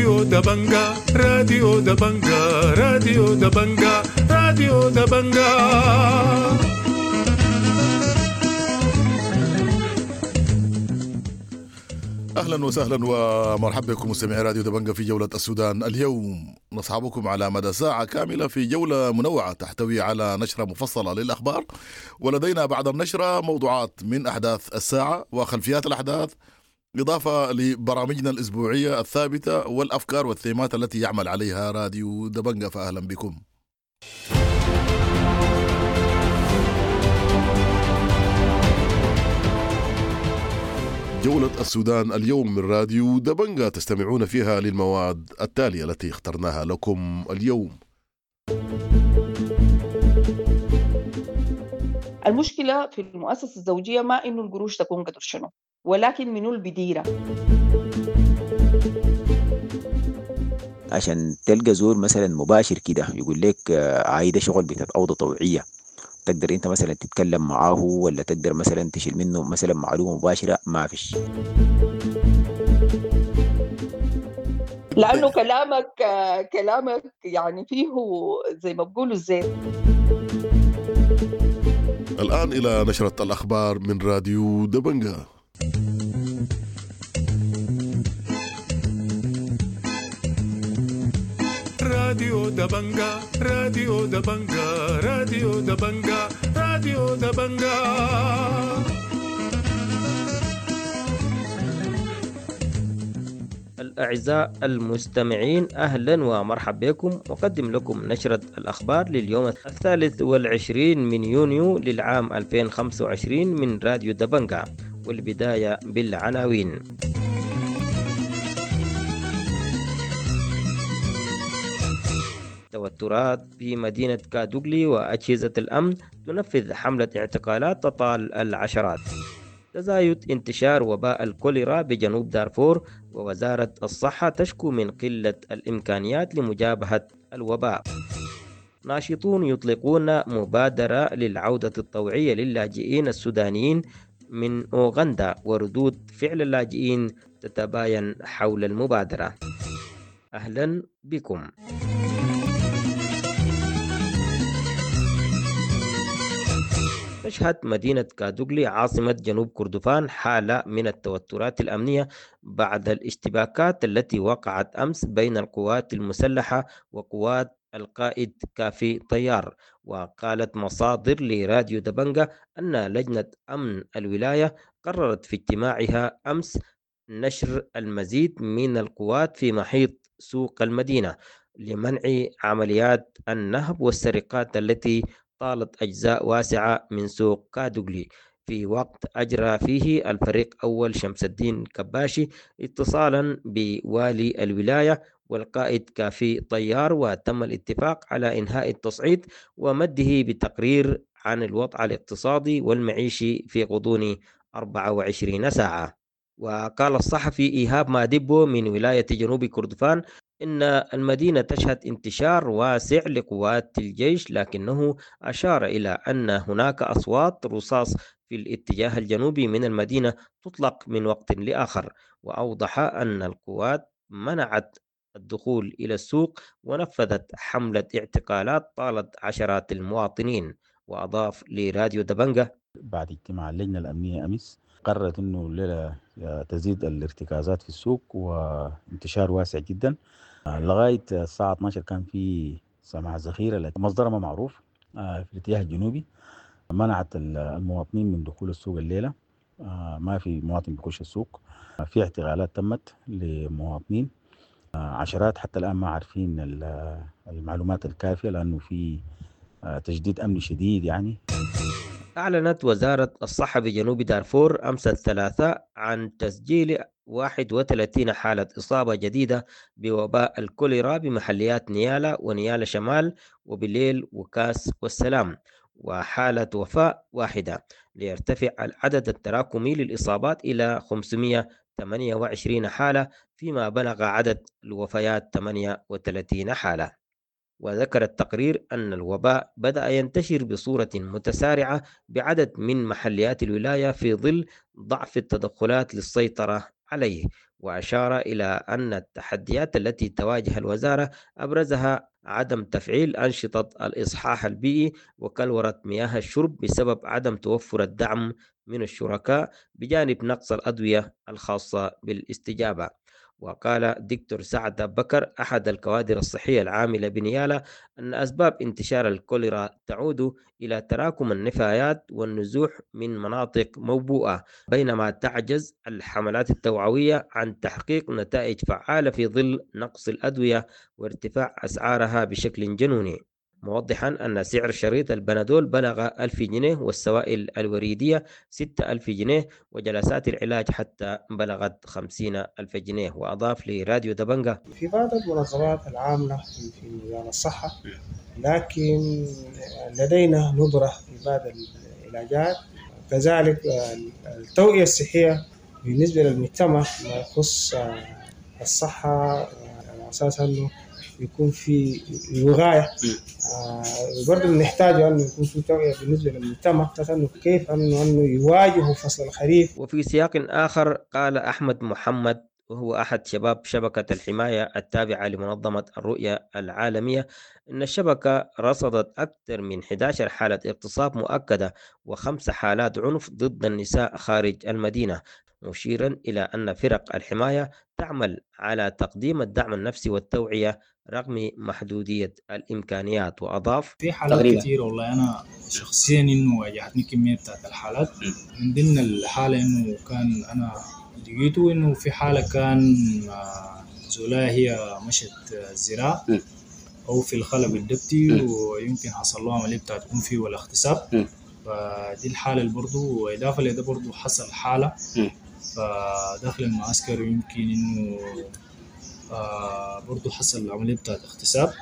راديو دبنجا، راديو دبنجا، راديو دبنجا، راديو دبنجا. اهلا وسهلا ومرحبا بكم مستمعي راديو دبنجا في جولة السودان اليوم. نصحبكم على مدى ساعة كاملة في جولة منوعة تحتوي على نشرة مفصلة للأخبار، ولدينا بعد النشرة موضوعات من أحداث الساعة وخلفيات الأحداث، إضافة لبرامجنا الأسبوعية الثابتة والأفكار والثيمات التي يعمل عليها راديو دبنجا. فأهلا بكم. جولة السودان اليوم من راديو دبنجا تستمعون فيها للمواد التالية التي اخترناها لكم اليوم. المشكلة في المؤسسة الزوجية ما إنه القروش تكون قدر شنو، ولكن منو البديرة. عشان تلقى زول مثلا مباشر كده يقول لك عايدة شغل بتاعت أوضة طوعية، تقدر انت مثلا تتكلم معاه ولا تقدر مثلا تشيل منه مثلا معلومة مباشرة، ما فيش. لأنه كلامك يعني فيه زي ما بقولوا الزيت. الآن إلى نشرة الأخبار من راديو دبنجا. راديو دبنجا، راديو دبنجا، راديو دبنجا، راديو دبنجا. الأعزاء المستمعين، أهلا ومرحبا بكم. أقدم لكم نشرة الأخبار لليوم 23 من يونيو للعام 2025 من راديو دبنجا، والبداية بالعناوين. توترات في مدينة كادوغلي وأجهزة الأمن تنفذ حملة اعتقالات تطال العشرات. تزايد انتشار وباء الكوليرا بجنوب دارفور، ووزارة الصحة تشكو من قلة الإمكانيات لمجابهة الوباء. ناشطون يطلقون مبادرة للعودة الطوعية للاجئين السودانيين من أوغندا، وردود فعل اللاجئين تتباين حول المبادرة. أهلا بكم. تشهد مدينة كادوغلي عاصمة جنوب كردفان حالة من التوترات الأمنية بعد الاشتباكات التي وقعت أمس بين القوات المسلحة وقوات القائد كافي طيار. وقالت مصادر لراديو دبنجا أن لجنة أمن الولاية قررت في اجتماعها أمس نشر المزيد من القوات في محيط سوق المدينة لمنع عمليات النهب والسرقات التي طالت أجزاء واسعة من سوق كادوغلي، في وقت أجرى فيه الفريق أول شمس الدين كباشي اتصالا بوالي الولاية والقائد كافي طيار، وتم الاتفاق على إنهاء التصعيد ومده بتقرير عن الوضع الاقتصادي والمعيشي في غضون 24 ساعة. وقال الصحفي إيهاب مادبو من ولاية جنوب كردفان إن المدينة تشهد انتشار واسع لقوات الجيش، لكنه أشار إلى أن هناك أصوات رصاص في الاتجاه الجنوبي من المدينة تطلق من وقت لآخر. وأوضح أن القوات منعت الدخول إلى السوق ونفذت حملة اعتقالات طالت عشرات المواطنين. وأضاف لراديو دبنجة: بعد اجتماع اللجنة الأمنية أمس قررت أنه الليلة تزيد الارتكازات في السوق وانتشار واسع جدا. لغاية الساعة 12 كان في سماع ذخيرة مصدرها ما معروف في الاتجاه الجنوبي، منعت المواطنين من دخول السوق الليلة. ما في مواطن بيخش السوق. في اعتقالات تمت لمواطنين عشرات، حتى الآن ما عارفين المعلومات الكافية لأنه في تشديد أمني شديد يعني. أعلنت وزارة الصحة بجنوب دارفور أمس الثلاثاء عن تسجيل 31 حالة إصابة جديدة بوباء الكوليرا بمحليات نيالا ونيالا شمال وبليل وكاس والسلام، وحالة وفاة واحدة، ليرتفع العدد التراكمي للإصابات إلى 528 حالة، فيما بلغ عدد الوفيات 38 حالة. وذكر التقرير أن الوباء بدأ ينتشر بصورة متسارعة بعدد من محليات الولاية في ظل ضعف التدخلات للسيطرة عليه. وأشار إلى أن التحديات التي تواجه الوزارة أبرزها عدم تفعيل أنشطة الإصحاح البيئي وكلورة مياه الشرب بسبب عدم توفر الدعم من الشركاء، بجانب نقص الأدوية الخاصة بالاستجابة. وقال دكتور سعد بكر أحد الكوادر الصحية العاملة بنيالا أن أسباب انتشار الكوليرا تعود إلى تراكم النفايات والنزوح من مناطق موبوءة، بينما تعجز الحملات التوعوية عن تحقيق نتائج فعالة في ظل نقص الأدوية وارتفاع أسعارها بشكل جنوني، موضحا أن سعر شريط البنادول بلغ 1000 جنيه والسوائل الوريدية 6000 جنيه وجلسات العلاج حتى بلغت 50,000 جنيه. وأضاف لراديو دبنجة: في بعض المنظمات العاملة في مجال الصحة، لكن لدينا ندرة في بعض العلاجات. كذلك التوعية الصحية بالنسبة للمجتمع ما يخص الصحة على أساس أنه يكون في وقاية. برضه بنحتاج أنه يكون في توعية بالنسبة للمجتمع أنه كيف أنه يواجهوا فصل الخريف. وفي سياق آخر قال أحمد محمد وهو أحد شباب شبكة الحماية التابعة لمنظمة الرؤية العالمية إن الشبكة رصدت أكثر من 11 حالة اغتصاب مؤكدة و5 حالات عنف ضد النساء خارج المدينة، مشيرا إلى أن فرق الحماية تعمل على تقديم الدعم النفسي والتوعية رغم محدودية الإمكانيات. وأضاف: في حالات كثيرة والله أنا شخصيا إنه واجهتني كمية بتاعت الحالات. من ضمن الحالة إنه كان أنا لقيته إنه في حالة كان زولا هي مشت الزراعة أو في الخلا بالدبتي ويمكن حصل له عملية بتاعت أنفي ولا اغتصاب، فدي الحالة اللي برضو. وإضافة لده برضو حصل حالة فداخل المعسكر يمكن إنه برضو حصل عملية بتاعت اغتصاب.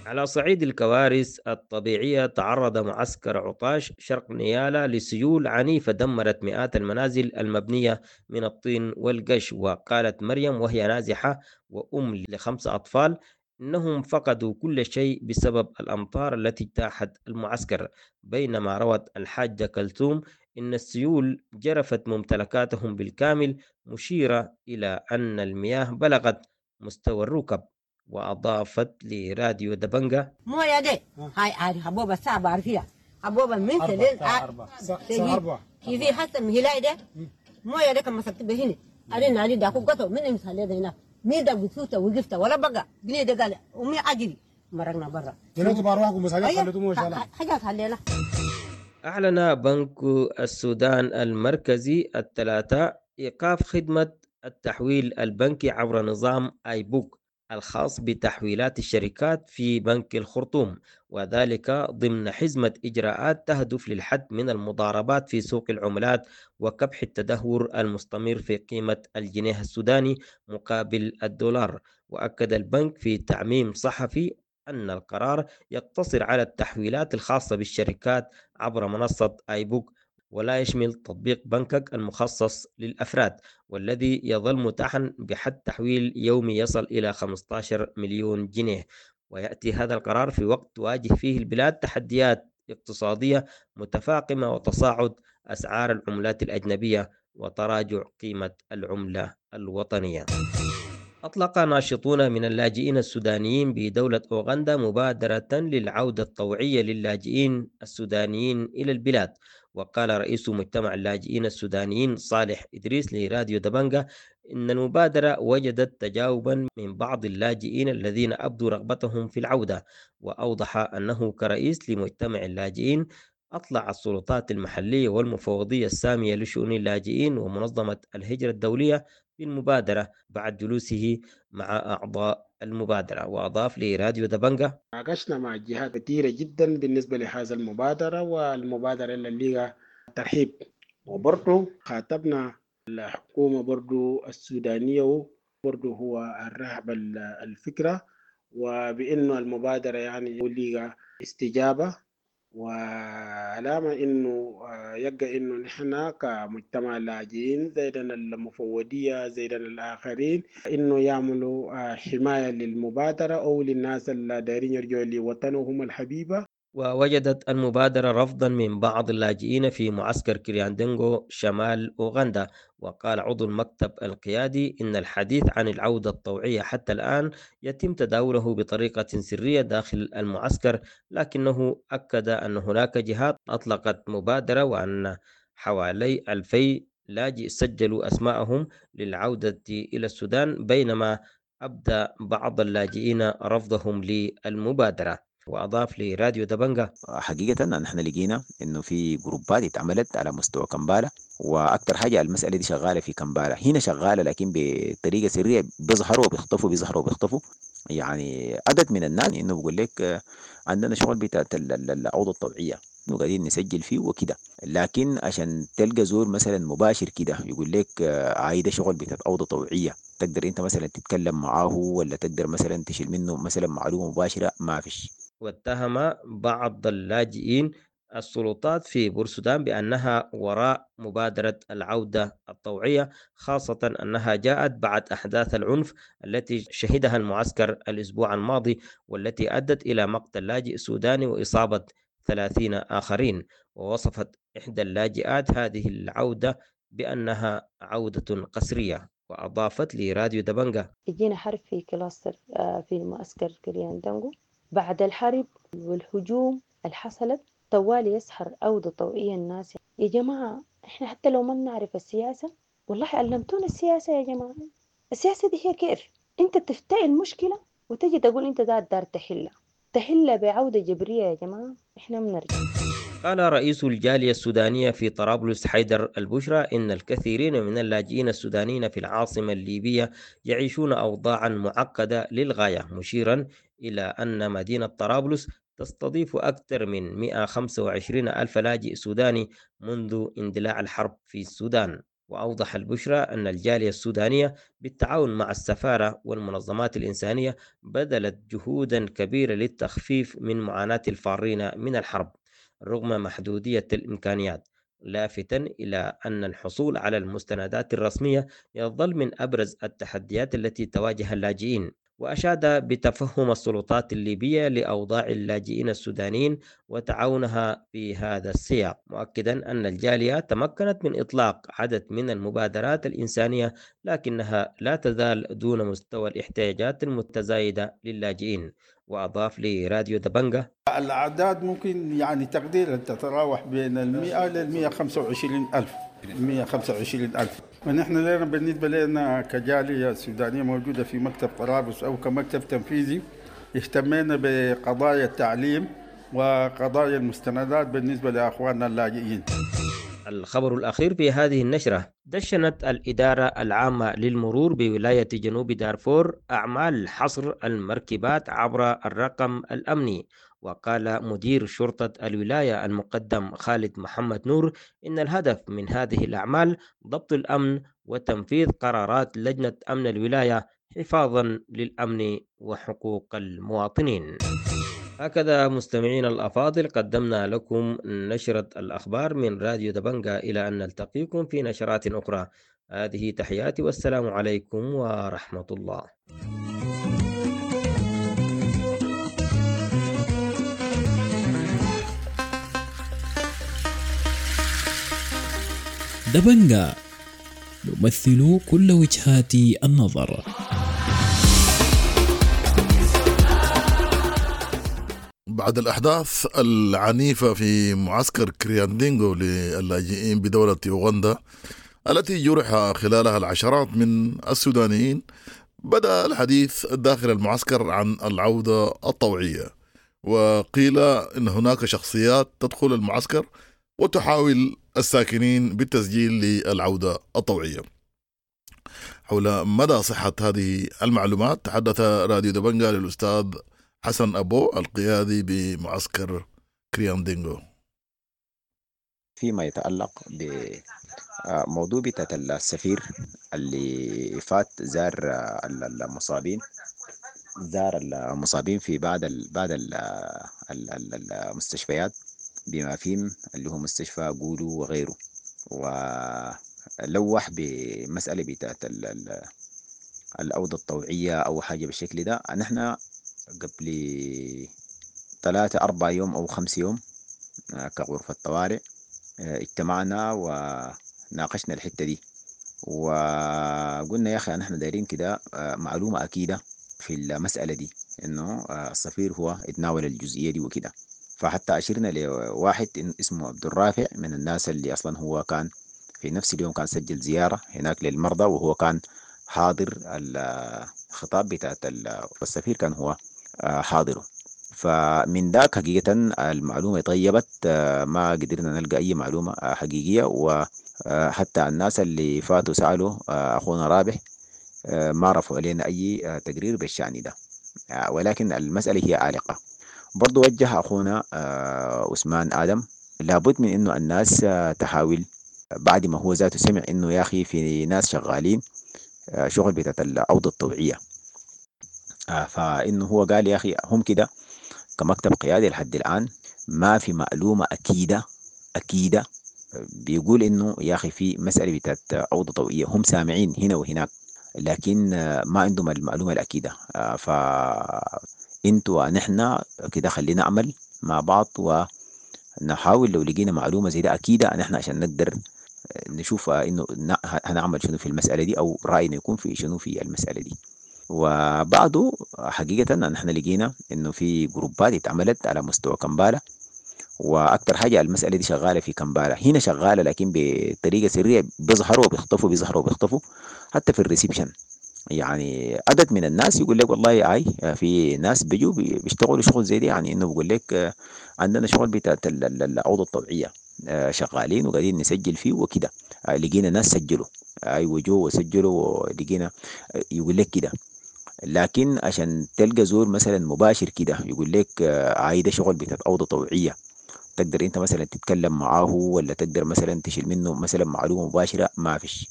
على صعيد الكوارث الطبيعية، تعرض معسكر عطاش شرق نيالا لسيول عنيفة دمرت مئات المنازل المبنية من الطين والقش. وقالت مريم وهي نازحة وأم ل5 أطفال إنهم فقدوا كل شيء بسبب الأمطار التي اجتاحت المعسكر، بينما روت الحاجة كلثوم إن السيول جرفت ممتلكاتهم بالكامل، مشيرة إلى أن المياه بلغت مستوى الركب. وأضافت لراديو دبنجة: موية دي هاي عارف حبوبة صعبة عارفيها حبوبة من سلين كيفي حسن مهلاي ده موية ده كما مسكت بهني أرين علي داكو قطو من إمسالي ده هنا مين ده بسوته وقفته ولا بقى بني ده قال أمي أجري مرقنا برا جنوتوا بأرواحكم بس حاجات خليتوا موية شالها حاجات خلينا. أعلن بنك السودان المركزي الثلاثاء إيقاف خدمة التحويل البنكي عبر نظام آيبوك الخاص بتحويلات الشركات في بنك الخرطوم، وذلك ضمن حزمة إجراءات تهدف للحد من المضاربات في سوق العملات وكبح التدهور المستمر في قيمة الجنيه السوداني مقابل الدولار. وأكد البنك في تعميم صحفي أن القرار يقتصر على التحويلات الخاصة بالشركات عبر منصة آيبوك، ولا يشمل تطبيق بنكك المخصص للأفراد، والذي يظل متاحا بحد تحويل يومي يصل إلى 15 مليون جنيه. ويأتي هذا القرار في وقت تواجه فيه البلاد تحديات اقتصادية متفاقمة وتصاعد أسعار العملات الأجنبية وتراجع قيمة العملة الوطنية. أطلق ناشطون من اللاجئين السودانيين بدولة أوغندا مبادرة للعودة الطوعية للاجئين السودانيين إلى البلاد. وقال رئيس مجتمع اللاجئين السودانيين صالح إدريس لراديو دبنجة إن المبادرة وجدت تجاوبا من بعض اللاجئين الذين أبدوا رغبتهم في العودة. وأوضح أنه كرئيس لمجتمع اللاجئين أطلع السلطات المحلية والمفوضية السامية لشؤون اللاجئين ومنظمة الهجرة الدولية بالمبادرة بعد جلوسه مع أعضاء المبادرة. وأضاف لراديو دبنجة: ناقشنا مع جهات كثيرة جدا بالنسبة لهذا المبادرة، والمبادرة اللي لها ترحيب، وبرضه خاطبنا الحكومة برضه السودانية، وبرضه هو الرحب الفكرة، وبأنه المبادرة يعني لها استجابة، وعلامة إنه يبقى إنه نحن كمجتمع لاجئين زيدنا المفوضية زيدنا الآخرين إنه يعملوا حماية للمبادرة أو للناس اللي دايرين يرجعوا لوطنهم الحبيبة. ووجدت المبادرة رفضا من بعض اللاجئين في معسكر كرياندنغو شمال أوغندا. وقال عضو المكتب القيادي إن الحديث عن العودة الطوعية حتى الآن يتم تداوله بطريقة سرية داخل المعسكر، لكنه أكد أن هناك جهات أطلقت مبادرة وأن حوالي 2000 لاجئ سجلوا أسماءهم للعودة إلى السودان، بينما أبدى بعض اللاجئين رفضهم للمبادرة. وأضاف لراديو دبنجة: حقيقة نحن لقينا إنه في جروبات اتعملت على مستوى كمبالة، وأكثر حاجة المسألة دي شغالة في كمبالة، هنا شغالة لكن بطريقة سرية، بيظهروا وبيختفوا بيظهروا وبيختفوا. يعني عدد من الناس إنه بقول لك عندنا شغل بتاعت العودة الطوعية إنه قاعدين نسجل فيه وكده، لكن عشان تلقى زول مثلا مباشر كده يقول لك عايدة شغل بتاعت عودة طوعية، تقدر انت مثلا تتكلم معاه ولا تقدر مثلا تشيل منه مثلا معلومة مباشرة، ما فيش. واتهم بعض اللاجئين السلطات في بورسودان بأنها وراء مبادرة العودة الطوعية، خاصة أنها جاءت بعد أحداث العنف التي شهدها المعسكر الأسبوع الماضي، والتي أدت إلى مقتل لاجئ سوداني وإصابة 30 آخرين. ووصفت إحدى اللاجئات هذه العودة بأنها عودة قسرية. وأضافت لراديو دبنجة: يجينا حرب في cluster في معسكر كرياندانجو. بعد الحرب والهجوم اللي حصلت طوالي يسحر عودة طوعية الناس. يا جماعة احنا حتى لو ما بنعرف السياسة، والله علمتونا السياسة يا جماعة. السياسة دي هي كيف انت تفتعل المشكلة وتجي تقول انت ده الدار تحلها بعودة جبرية. يا جماعة احنا بنرجع. قال رئيس الجالية السودانية في طرابلس حيدر البشرى إن الكثيرين من اللاجئين السودانيين في العاصمة الليبية يعيشون أوضاعا معقدة للغاية، مشيرا إلى أن مدينة طرابلس تستضيف أكثر من 125 ألف لاجئ سوداني منذ اندلاع الحرب في السودان. وأوضح البشرى أن الجالية السودانية بالتعاون مع السفارة والمنظمات الإنسانية بذلت جهودا كبيرة للتخفيف من معاناة الفارين من الحرب رغم محدودية الإمكانيات، لافتا إلى أن الحصول على المستندات الرسمية يظل من أبرز التحديات التي تواجه اللاجئين. وأشاد بتفهم السلطات الليبية لأوضاع اللاجئين السودانيين وتعاونها في هذا السياق، مؤكدا أن الجالية تمكنت من إطلاق عدد من المبادرات الإنسانية لكنها لا تزال دون مستوى الاحتياجات المتزايدة للاجئين. وأضاف لراديو دبنجة: الأعداد ممكن يعني تقديرا تتراوح بين 100 إلى 125 ألف 125 ألف. ونحن لنا بالنسبة لنا كجالية سودانية موجودة في مكتب طرابلس أو كمكتب تنفيذي، اهتمينا بقضايا التعليم وقضايا المستندات بالنسبة لأخواننا اللاجئين. الخبر الأخير في هذه النشرة: دشنت الإدارة العامة للمرور بولاية جنوب دارفور أعمال حصر المركبات عبر الرقم الأمني. وقال مدير شرطة الولاية المقدم خالد محمد نور إن الهدف من هذه الأعمال ضبط الأمن وتنفيذ قرارات لجنة أمن الولاية حفاظا للأمن وحقوق المواطنين. هكذا مستمعين الأفاضل قدمنا لكم نشرة الأخبار من راديو دبنجة، إلى أن نلتقيكم في نشرات أخرى. هذه تحياتي والسلام عليكم ورحمة الله. دبنجة نمثل كل وجهات النظر. بعد الأحداث العنيفة في معسكر كرياندينغو للاجئين بدولة أوغندا التي جرح خلالها العشرات من السودانيين، بدأ الحديث داخل المعسكر عن العودة الطوعية، وقيل إن هناك شخصيات تدخل المعسكر وتحاول الساكنين بالتسجيل للعودة الطوعية. حول مدى صحة هذه المعلومات تحدث راديو دبنجا للأستاذ حسن أبو القيادي بمعسكر كرياندينغو. فيما يتعلق بموضوع بتاعت السفير اللي فات زار المصابين، زار المصابين في بعض المستشفيات بما فيهم اللي هو مستشفى جولو وغيره، ولوح بمسألة بتاعت العودة الطوعية أو حاجة بالشكل ده. نحن قبل 3 4 يوم أو 5 يوم كغرفة طوارئ اجتمعنا وناقشنا الحتة دي، وقلنا يا أخي نحن دايرين كده معلومة أكيدة في المسألة دي، إنه السفير هو اتناول الجزئية دي وكده. فحتى أشرنا لواحد اسمه عبد الرافع من الناس اللي أصلا هو كان في نفس اليوم كان سجل زيارة هناك للمرضى، وهو كان حاضر الخطاب بتاعت السفير، كان هو حاضره. فمن ذاك حقيقة المعلومة طيبت، ما قدرنا نلقى أي معلومة حقيقية. وحتى الناس اللي فاتوا سألوا أخونا رابح ما رفعوا علينا أي تقرير بالشأن ده، ولكن المسألة هي عالقة. برضو وجه أخونا عثمان آدم لابد من إنه الناس تحاول بعد ما هو ذاته سمع إنه يا أخي في ناس شغالين شغل بتاعت الأوضة الطوعية، فإنه هو قال يا أخي هم كده كمكتب قيادي لحد الآن ما في معلومة أكيدة بيقول إنه يا أخي في مسألة بتاعت أوضة طوعية، هم سامعين هنا وهناك لكن ما عندهم المعلومة الأكيدة. فإنتوا ونحن كده خلينا نعمل مع بعض ونحاول لو لقينا معلومة زي ده أكيدة نحن عشان نقدر نشوف إنه هنعمل شنو في المسألة دي، أو رأينا يكون في شنو في المسألة دي. وبعده حقيقة نحن لقينا إنه في جروبات اتعملت على مستوى كمبالة، وأكثر حاجة المسألة دي شغالة في كمبالة، هنا شغالة لكن بطريقة سرية، بيظهروا وبيختفوا بيظهروا وبيختفوا حتى في ال reception. يعني عدد من الناس يقول لك والله اي في ناس بيجوا بيشتغلوا شغل زي دي، يعني انه بيقول لك عندنا شغل بتاعت العوضة الطوعية شغالين وقاعدين نسجل فيه وكده، لقينا ناس سجلوا ايوه جو وسجلوا ولقينا يقول لك كده. لكن عشان تلقى زول مثلا مباشر كده يقول لك عايده شغل بتاعت أوضة طوعية، تقدر انت مثلا تتكلم معاه ولا تقدر مثلا تشيل منه مثلا معلومة مباشرة، ما فيش.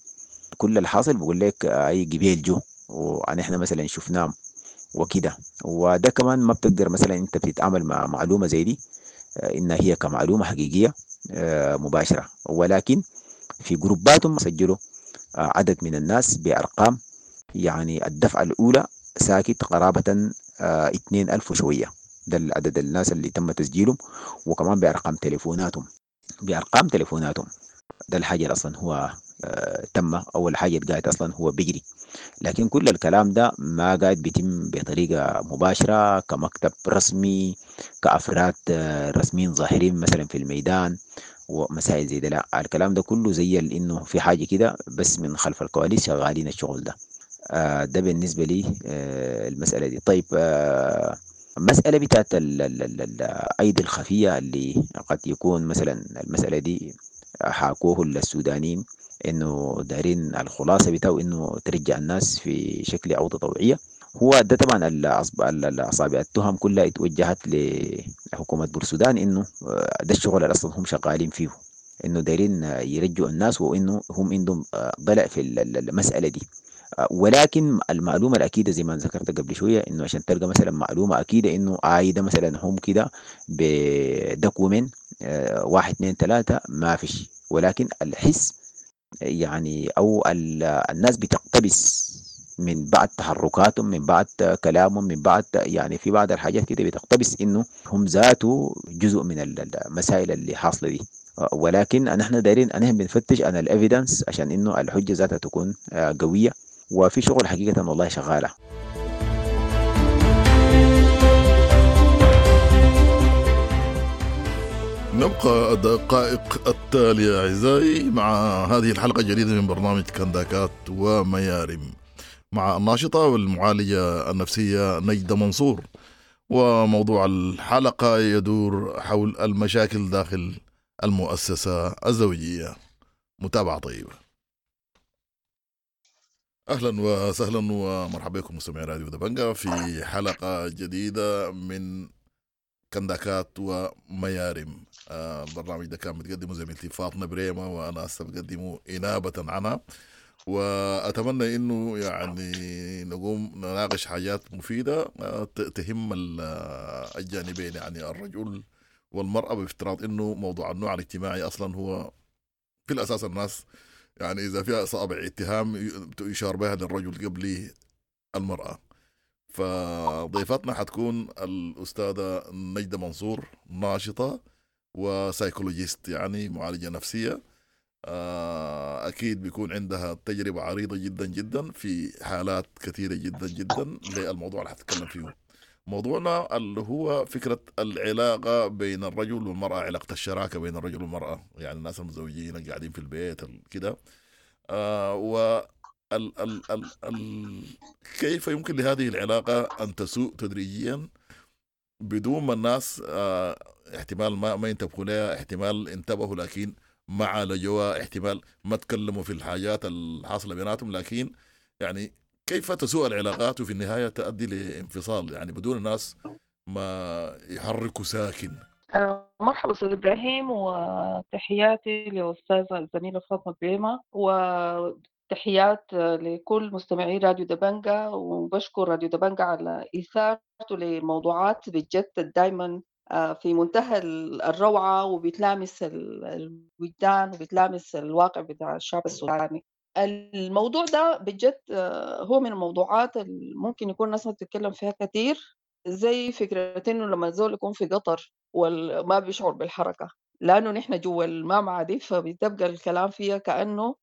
كل الحاصل بقول لك اي قبيل جو ونحن مثلا شفناه وكده. وده كمان ما بتقدر مثلا انت بتتعامل مع معلومة زي دي انها هي كمعلومة حقيقية مباشرة، ولكن في جروباتهم سجلوا عدد من الناس بأرقام، يعني الدفعة الأولى ساكت قرابة 2000 وشوية، ده العدد الناس اللي تم تسجيلهم، وكمان بأرقام تليفوناتهم، بأرقام تليفوناتهم. ده الحاجة اللي أصلا هو تم أول حاجة قاعد أصلا هو بيجري، لكن كل الكلام ده ما قاعد بيتم بطريقة مباشرة كمكتب رسمي كأفراد رسميين ظاهرين مثلا في الميدان ومسائل زي ده، لا الكلام ده كله زي إنه في حاجة كده بس من خلف الكواليس شغالين الشغل ده. ده بالنسبة لي المسألة دي. طيب المسألة بتاعت الأيدي الخفية اللي قد يكون مثلا المسألة دي حاكوه للسودانيين إنه دارين الخلاصة بتاعه إنه ترجع الناس في شكل عودة طوعية، هو ده طبعا الأصابع التهم كلها اتوجهت لحكومة بورسودان إنه ده الشغل اللي أصلا هم شغالين فيه، إنه دارين يرجعوا الناس وإنه هم عندهم ضلع في المسألة دي. ولكن المعلومة الأكيدة زي ما ذكرت قبل شوية إنه عشان تلقى مثلا معلومة أكيدة إنه عايدة مثلا هم كده بدوكيومنت 1 2 3 ما فيش، ولكن الحس يعني أو الناس بتقتبس من بعد تحركاتهم من بعد كلامهم من بعد يعني في بعض الحاجات كده بتقتبس إنه هم ذاته جزء من المسائل اللي حاصلة دي. ولكن نحن دايرين نحن بنفتش عن الإيفيدنس عشان إنه الحجة ذاتها تكون قوية، وفي شغل حقيقة والله شغالة. نبقى الدقائق التالية أعزائي مع هذه الحلقة الجديدة من برنامج كنداكات وميارم مع الناشطة والمعالجة النفسية نجدة منصور، وموضوع الحلقة يدور حول المشاكل داخل المؤسسة الزوجية. متابعة طيبة. أهلا وسهلا ومرحبا بكم مستمعي راديو دبنجا في حلقة جديدة من كنداكات وميارم. البرنامج ده كان بتقدمه زميلتي فاطمة بريمة وأنا هسه بقدمه إنابة عنها، وأتمنى إنه يعني نقوم نناقش حاجات مفيدة تهم الجانبين، يعني الرجل والمرأة، بافتراض إنه موضوع النوع الاجتماعي أصلا هو في الأساس الناس يعني إذا فيها أصابع اتهام يشار بها للرجل قبل المرأة. فضيفتنا حتكون الأستاذة نجدة منصور، ناشطة و psychologist، يعني معالجة نفسية. أكيد بيكون عندها تجربة عريضة جدا جدا في حالات كثيرة جدا جدا للموضوع اللي حتتكلم فيه. موضوعنا اللي هو فكرة العلاقة بين الرجل والمرأة، علاقة الشراكة بين الرجل والمرأة، يعني الناس المتزوجين اللي قاعدين في البيت كده، و ال ال ال ال كيف يمكن لهذه العلاقة أن تسوء تدريجيا بدون ما الناس احتمال ما ينتبهوا لها، احتمال انتبهوا لكن ما عالجوها، احتمال ما تكلموا في الحاجات الحاصلة بيناتهم، لكن يعني كيف تسوء العلاقات وفي النهاية تؤدي لانفصال، يعني بدون الناس ما يحركوا ساكن. مرحبا أستاذ إبراهيم، وتحياتي لأستاذة الزميلة فاطمة بريمة، وتحيات لكل مستمعي راديو دبنجا. وبشكر راديو دبنجا على إثارته لموضوعات بجد دايما في منتهى الروعة، وبتلامس الوجدان وبتلامس الواقع بتاع الشعب السوداني. الموضوع ده بجد هو من الموضوعات اللي ممكن يكون الناس ما بتتكلم فيها كتير، زي فكرة إنه لما الزول يكون في قطر وما بيشعر بالحركة، لأنه نحن جوا المامعة دي، فبتبقى الكلام فيها كأنه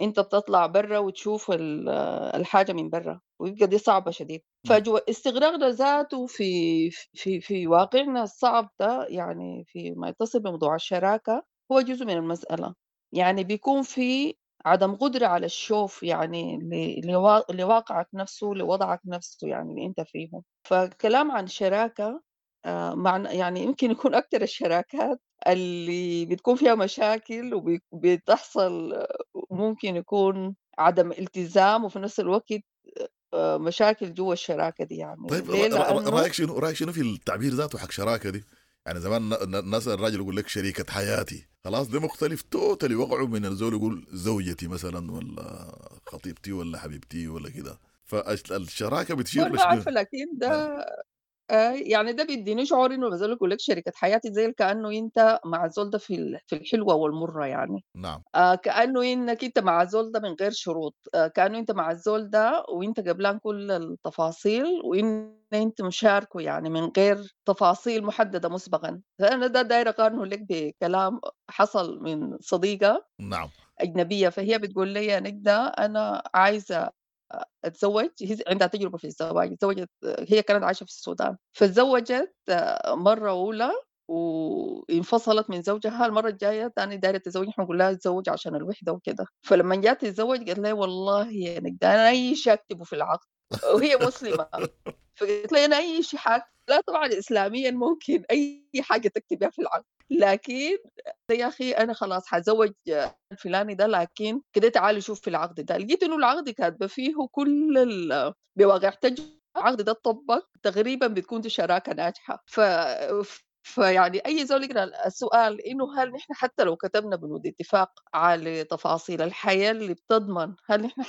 أنت بتطلع برا وتشوف الحاجة من برا، ويبقى دي صعبة شديد. فجوا استغراقنا ذاته في في في واقعنا الصعب ده، يعني في ما يتصل بموضوع الشراكة، هو جزء من المسألة. يعني بيكون في عدم قدرة على الشوف، يعني لواقعك نفسه، لوضعك نفسه، يعني اللي أنت فيه. فالكلام عن شراكة مع يعني يمكن يكون أكتر الشراكات اللي بتكون فيها مشاكل وبتحصل ممكن يكون عدم التزام، وفي نفس الوقت مشاكل جوا الشراكة دي. يعني طيب ليه؟ لأنه رأيك شنو في التعبير ذاته حق شراكة دي؟ يعني زمان الناس الراجل يقول لك شريكة حياتي، خلاص ده مختلف totally وقعوا من الزول يقول زوجتي مثلا، ولا خطيبتي، ولا حبيبتي، ولا كده. فالشراكة بتشير ما عارفة، لكن ده يعني ده بيديني شعور انه بزول يقول لك شريكة حياتي زي كأنه انت مع الزول ده في الحلوة والمرة، يعني نعم، كأنه انك انت مع الزول ده من غير شروط، كأنه انت مع الزول ده وانت قبلان كل التفاصيل، وان انت مشاركه يعني من غير تفاصيل محددة مسبقا. فأنا ده داير اقارنه لك بكلام حصل من صديقة نعم أجنبية، فهي بتقول لي يا نجدة أنا عايزة اتزوج، هي عندها تجربة في الزواج، تزوجت، هي كانت عايشة في السودان، فتزوجت مرة أولى وانفصلت من زوجها، المرة الجاية تاني دايرة تتزوج، نحن نقول لها تزوج عشان الوحدة وكده. فلما جات تتزوج قالت لي والله يا نجدة أنا أي شيء أكتبه في العقد، وهي مسلمة، فقلت لي أنا أي شيء حاجة، لا طبعا إسلاميا ممكن أي حاجة تكتبها في العقد، لكن يا أخي أنا خلاص حزوج الفلاني ده، لكن كده تعالي شوف في العقد ده. لقيت إنه العقد كاتبة فيه كل بواقع تجربة، العقد ده اتطبق تقريبا بتكون دي شراكة ناجحة. فيعني أي زول يقرأ السؤال إنه هل نحن حتى لو كتبنا بنود اتفاق على تفاصيل الحياة اللي بتضمن، هل نحن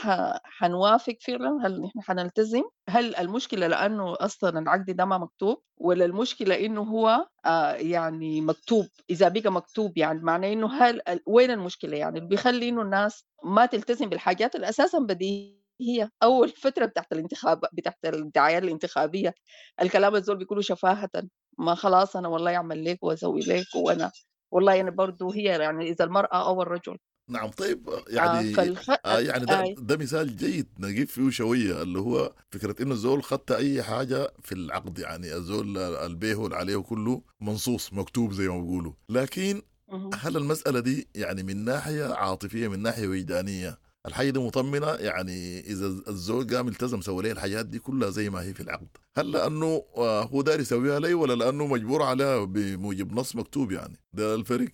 حنوافق فعلا؟ هل نحن حنلتزم؟ هل المشكلة لأنه أصلا العقد ده ما مكتوب، ولا المشكلة إنه هو يعني مكتوب؟ إذا بقى مكتوب يعني معناه إنه هل وين المشكلة؟ يعني اللي بيخلي إنه الناس ما تلتزم بالحاجات اللي أساسا بديهية. هي أول فترة بتاعت الانتخاب، بتاعت الدعاية الانتخابية، الكلام الزول بيقولوا شفاهة، ما خلاص أنا والله أعمل لك وأسوي لك، وأنا والله أنا برضو هي يعني إذا المرأة أو الرجل. نعم طيب يعني يعني ده مثال جيد نجيب فيه شوية، اللي هو فكرة إنه الزول خدت أي حاجة في العقد، يعني الزول البيه واللي عليه كله منصوص مكتوب زي ما بيقولوا، لكن هل المسألة دي يعني من ناحية عاطفية، من ناحية وجدانية، الحاجة دي مطمنة؟ يعني إذا الزوج قام التزم سوى ليه الحاجات دي كلها زي ما هي في العقد، هل لأنه هو داري يسويها لي، ولا لأنه مجبور عليها بموجب نص مكتوب؟ يعني ده الفرق.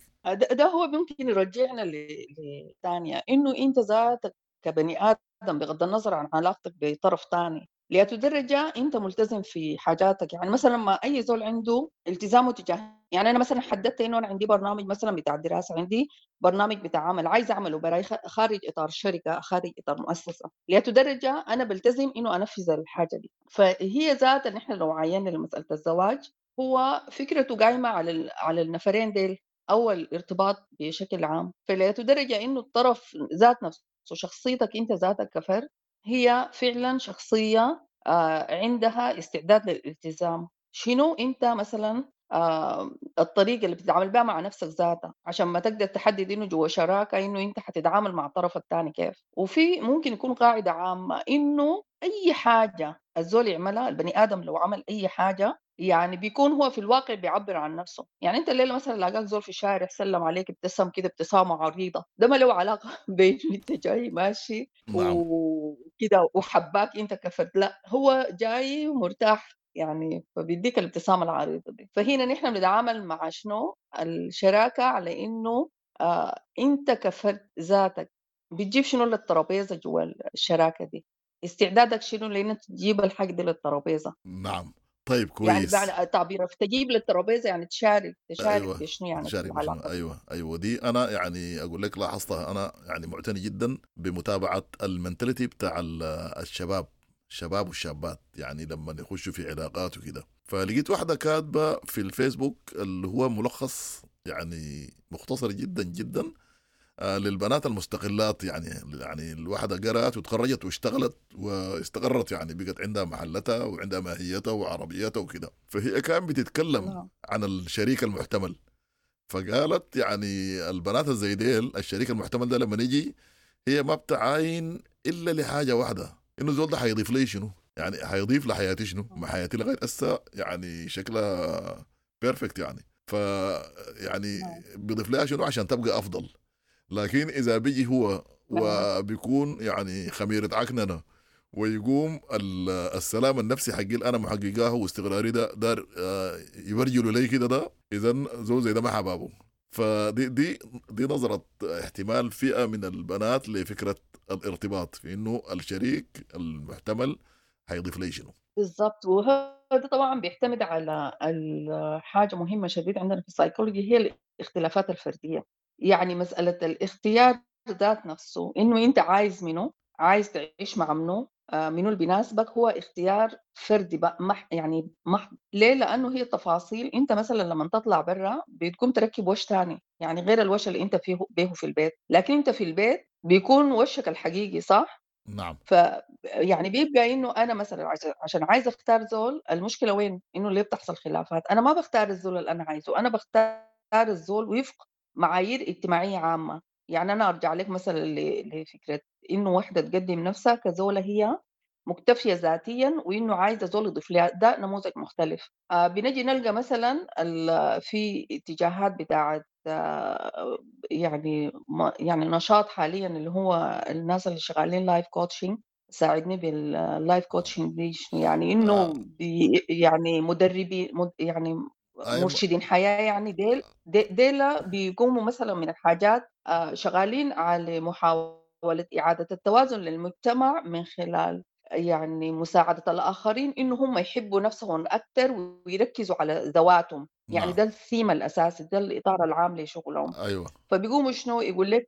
ده هو ممكن يرجعنا لثانية، إنه أنت ذاتك كبني آدم بغض النظر عن علاقتك بطرف ثاني لأتدرجة أنت ملتزم في حاجاتك. يعني مثلا ما أي زول عنده التزامه تجاه، يعني أنا مثلا حددت إنه أنا عندي برنامج مثلا بتاع دراسة، عندي برنامج بتاع عمل عايز أعمله براي خارج إطار شركة، خارج إطار مؤسسة، لأتدرجة أنا بلتزم إنه أنفذ الحاجة دي. فهي ذات إن إحنا لو عينا لمسألة الزواج، هو فكرته قايمة على النفرين ديل أو الارتباط بشكل عام. فلأتدرجة إنه الطرف ذات نفسه، شخصيتك أنت ذاتك كفرد، هي فعلا شخصية عندها استعداد للالتزام. شنو أنت مثلا الطريقة اللي بتتعامل بها مع نفسك ذاتها عشان ما تقدر تحدد إنه جوا شراكة إنه أنت حتتعامل مع الطرف الثاني كيف. وفي ممكن يكون قاعدة عامة إنه أي حاجة الزول يعملها، البني آدم لو عمل أي حاجة يعني بيكون هو في الواقع بيعبر عن نفسه. يعني انت الليلة مثلا لاقاك زول في الشارع سلم عليك ابتسم كده ابتسامة عريضة، ده ما له علاقة بين انت جاي ماشي نعم. وكده وحباك انت كفرد، لا هو جاي مرتاح يعني، فبيديك الابتسامة العريضة دي. فهنا نحن بنتعامل مع شنو الشراكة على انه انت كفرد ذاتك بتجيب شنو للترابيزه جوا الشراكة دي، استعدادك شنو لان تجيب الحاجة دي للترابيزه. نعم طيب يعني كويس. بمعنى تعبير تجيب للترابيزه يعني تشارك ايوه بشنو يعني في تشارك بشنو. العلاقة. ايوه دي انا يعني اقول لك لاحظتها، انا يعني معتني جدا بمتابعة ال mentality بتاع الشباب والشابات، يعني لما يخشوا في علاقات وكده. فلقيت واحدة كاتبه في الفيسبوك اللي هو ملخص يعني مختصر جدا جدا للبنات المستقلات، يعني الواحدة قرأت وتخرجت واشتغلت واستقرت، يعني بقت عندها محلتها وعندها ماهيتها وعربيتها وكده. فهي كان بتتكلم نعم. عن الشريك المحتمل، فقالت يعني البنات الزي ديل الشريك المحتمل ده لما يجي هي ما بتعاين إلا لحاجة واحدة، إنه زول ده حيضيف لي شنو، يعني حيضيف لحياتي شنو، ما حياتي لغاية هسه يعني شكلها perfect يعني، ف يعني بيضيف لها شنو عشان تبقى أفضل. لكن إذا بيجي هو وبيكون يعني خميرة عكننة ويقوم السلام النفسي حقي اللي أنا محققاه واستقراري ده دار يبرجلوا لي كده، ده إذا زول زي ده ما حبابة. فدي دي دي نظرة احتمال فئة من البنات لفكرة الارتباط، في إنه الشريك المحتمل هيضيف لي شنو. بالضبط. وهذا طبعا بيعتمد على حاجة مهمة شديد عندنا في السايكولوجي، هي الاختلافات الفردية. يعني مسألة الاختيار ذات نفسه، إنه أنت عايز منه، عايز تعيش مع منه، منو اللي بيناسبك، هو اختيار فردي بقى، يعني محض. ليه؟ لأنه هي التفاصيل. أنت مثلا لما تطلع برا بتقوم تركب وش تاني، يعني غير الوش اللي أنت فيه به في البيت، لكن أنت في البيت بيكون وشك الحقيقي، صح؟ نعم. ف يعني بيبقى إنه أنا مثلا عشان عايز أختار زول، المشكلة وين؟ إنه ليه بتحصل خلافات؟ أنا ما بختار الزول اللي أنا عايزه، أنا بختار الزول وفق معايير اجتماعية عامة. يعني أنا أرجع لك مثلا لفكرة إنه واحدة تقدم نفسها كزولة هي مكتفية ذاتيا وإنه عايزة زول يضيف لها، ده نموذج مختلف. بنجي نلقى مثلا في اتجاهات بتاعت يعني يعني نشاط حاليا اللي هو الناس اللي شغالين life coaching. ساعدني بال life coaching دي شنو يعني؟ إنه يعني مدربين يعني مرشدين حياة، يعني ديل بيقوموا مثلا من الحاجات شغالين على محاولة إعادة التوازن للمجتمع من خلال يعني مساعدة الآخرين إنه هم يحبوا نفسهم أكثر ويركزوا على ذواتهم. يعني نعم. ده الثيم الأساسي، ده الإطار العام لشغلهم. أيوة. فبيقوموا شنو يقول لك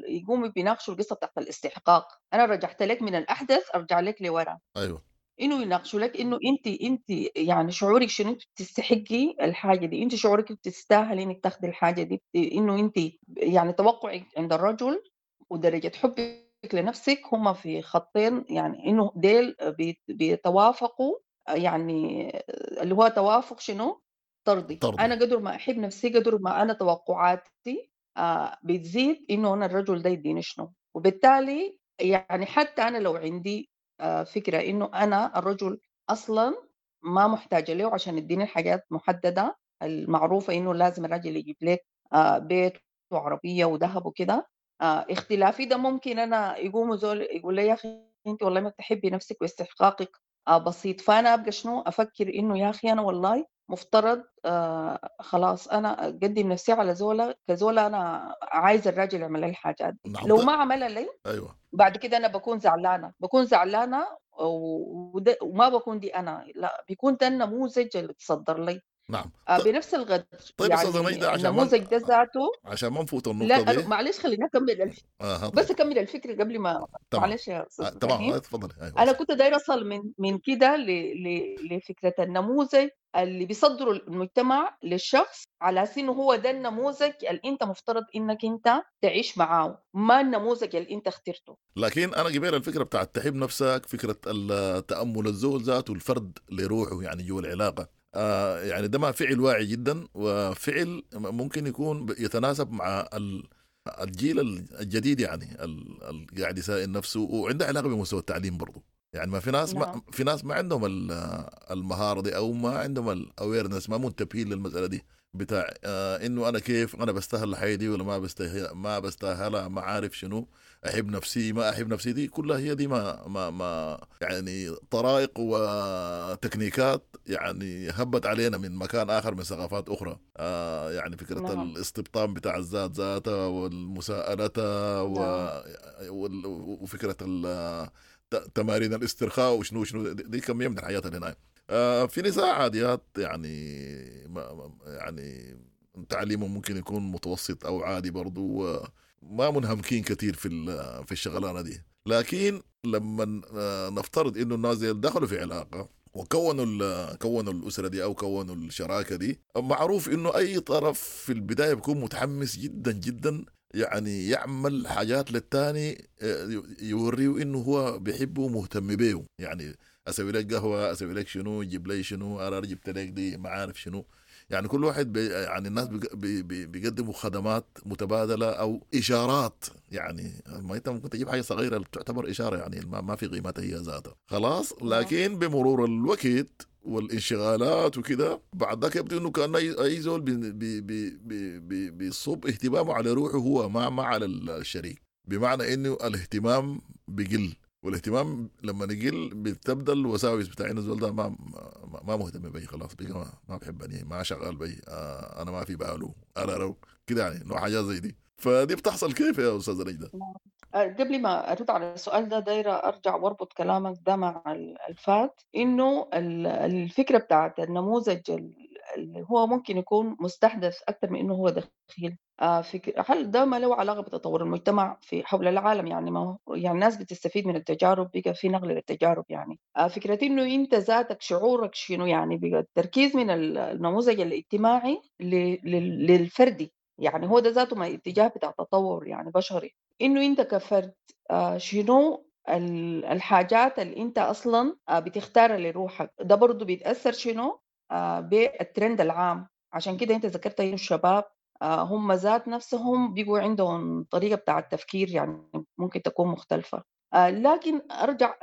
يقوموا بيناقشوا القصة بتاعت الاستحقاق. أنا رجعت لك من الأحدث أرجع لك لورا. أيوة. إنه يناقشوا لك إنه أنت يعني شعورك شنو، أنت بتستحقي الحاجة دي، أنت شعورك بتستاهلي إنك تاخدي الحاجة دي، إنه أنت يعني توقعك عند الرجل ودرجة حبك لنفسك هما في خطين، يعني إنه ديل بيتوافقوا، يعني اللي هو توافق شنو؟ طردي. أنا قدر ما أحب نفسي قدر ما أنا توقعاتي بتزيد إنه أنا الرجل ده يديني شنو، وبالتالي يعني حتى أنا لو عندي فكرة إنه أنا الرجل أصلاً ما محتاجة له عشان يديني الحاجات محددة المعروفة إنه لازم الرجل يجيب لك بيت وعربية وذهب وكده، اختلافي ده ممكن أنا يقوم زول يقول لي يا أخي أنت والله ما بتحبي نفسك واستحقاقك بسيط، فأنا أبقى شنو أفكر إنه يا أخي أنا والله مفترض خلاص أنا أقدم نفسي على زولة كزولة، أنا عايز الراجل يعمل لي الحاجات دي. نعم. لو ما عملها لي أيوة. بعد كده أنا بكون زعلانة، وما بكون دي أنا، لا بيكون ده النموذج اللي تصدر لي. نعم. بنفس الغد. طيب يعني أستاذة ميدة، عشان النموذج ده ذاته عشان ما نفوت النقطة لا دي. معلش خلينا أكمل بس أكمل الفكرة قبل ما معلش يا أستاذ تمام تفضلي. أيوة. أنا كنت دايرة أصل من كده لفكرة النموذج اللي بيصدروا المجتمع للشخص على أساس إنه هو ده النموذج اللي أنت مفترض إنك أنت تعيش معاه، ما النموذج اللي أنت اخترته. لكن أنا قبل الفكرة بتاعت تحب نفسك، فكرة التأمل الزول ذاته الفرد لروحه يعني جوا العلاقة، يعني ده ما فعل واعي جدا، وفعل ممكن يكون يتناسب مع الجيل الجديد، يعني قاعد يسائل نفسه وعنده علاقة بمستوى التعليم برضه. يعني ما في ناس ما في ناس ما عندهم المهارة دي أو ما عندهم ال awareness، ما منتبهين للمسألة دي بتاع إنه أنا كيف أنا بستاهل الحياة دي ولا ما بستاهلها، ما عارف شنو، أحب نفسي ما أحب نفسي، دي كلها هي دي ما ما ما يعني طرائق وتكنيكات يعني هبت علينا من مكان آخر، من ثقافات أخرى. يعني فكرة الاستبطان بتاع الذات ذاتها والمساءلة وفكرة تمارين الاسترخاء وشنو شنو، دي كمية من الحياة اللي هناك. في نساء عاديات يعني يعني تعليمهم ممكن يكون متوسط أو عادي برضو، ما منهمكين كثير في الشغلانة دي. لكن لما نفترض إنه الناس دخلوا في علاقة وكونوا كونوا الأسرة دي أو كونوا الشراكة دي، معروف إنه أي طرف في البداية بيكون متحمس جدا جدا، يعني يعمل حاجات للتاني يوريه إنه هو بيحبه ومهتم بيه. يعني أسوي لك قهوة، أسوي لك شنو، جيب لي شنو، أنا جبت لك دي، ما عارف شنو. يعني كل واحد يعني الناس بيقدموا خدمات متبادلة أو إشارات. يعني ما أنت ممكن تجيب حاجة صغيرة تعتبر إشارة، يعني ما في قيمتها هي ذاتها خلاص. لكن بمرور الوقت والانشغالات وكده بعد ذاك يبدو انه كان اي زول بيصب اهتمامه على روحه هو، ما على الشريك. بمعنى انه الاهتمام بيقل، والاهتمام لما يقل بتبدا الوساوس بتاع انه الزول ده ما مهتم بي، خلاص بقى ما بحبني، ما شغال بي، انا ما في باله، انا رو كده، يعني انه حاجات زي دي. فدي بتحصل كيف يا استاذه نجدة؟ قبل ما أرد على السؤال ده دايرة أرجع وأربط كلامك ده مع الفات، إنه الفكرة بتاعت النموذج اللي هو ممكن يكون مستحدث أكثر من إنه هو دخيل. هل ده ما له علاقة بتطور المجتمع في حول العالم؟ يعني ما هو يعني الناس بتستفيد من التجارب، بقى في نقل للتجارب. يعني فكرة إنه أنت ذاتك شعورك شنو، يعني بقى التركيز من النموذج الاجتماعي للفردي، يعني هو ده ذاته ما اتجاه بتاع تطور يعني بشري، إنه أنت كفرد شنو الحاجات اللي أنت أصلاً بتختارها لروحك. ده برضو بيتأثر شنو بالترند العام. عشان كده أنت ذكرت إنه الشباب هم ذات نفسهم بيقوا عندهم طريقة بتاع التفكير يعني ممكن تكون مختلفة. لكن أرجع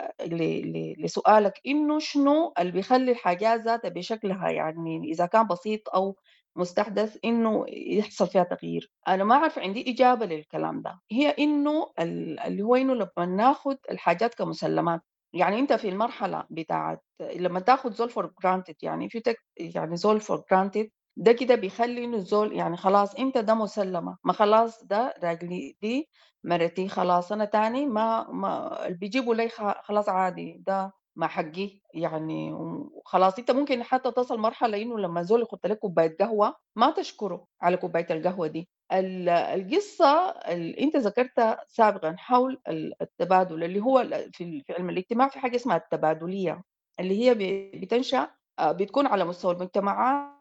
لسؤالك إنه شنو اللي بيخلي الحاجات ذاتها بشكلها يعني إذا كان بسيط أو مستحدث إنه يحصل فيها تغيير. أنا ما أعرف عندي إجابة للكلام ده. هي إنه اللي هو إنه لما ناخد الحاجات كمسلمات، يعني أنت في المرحلة بتاعت لما تاخد زول for granted، يعني في يعني زول for granted ده كده بيخلي إنه الزول يعني خلاص أنت ده مسلمة، ما خلاص ده راجلي، دي مرتي، خلاص أنا تاني ما اللي بيجيبوا لي خلاص عادي ده ما حقي يعني. وخلاص انت ممكن حتى تصل مرحلة انه لما زول يحط لك كوباية قهوة ما تشكره على كوباية القهوة دي. القصة اللي انت ذكرتها سابقا حول التبادل اللي هو في علم الاجتماع في حاجة اسمها التبادلية، اللي هي بتنشأ بتكون على مستوى المجتمعات.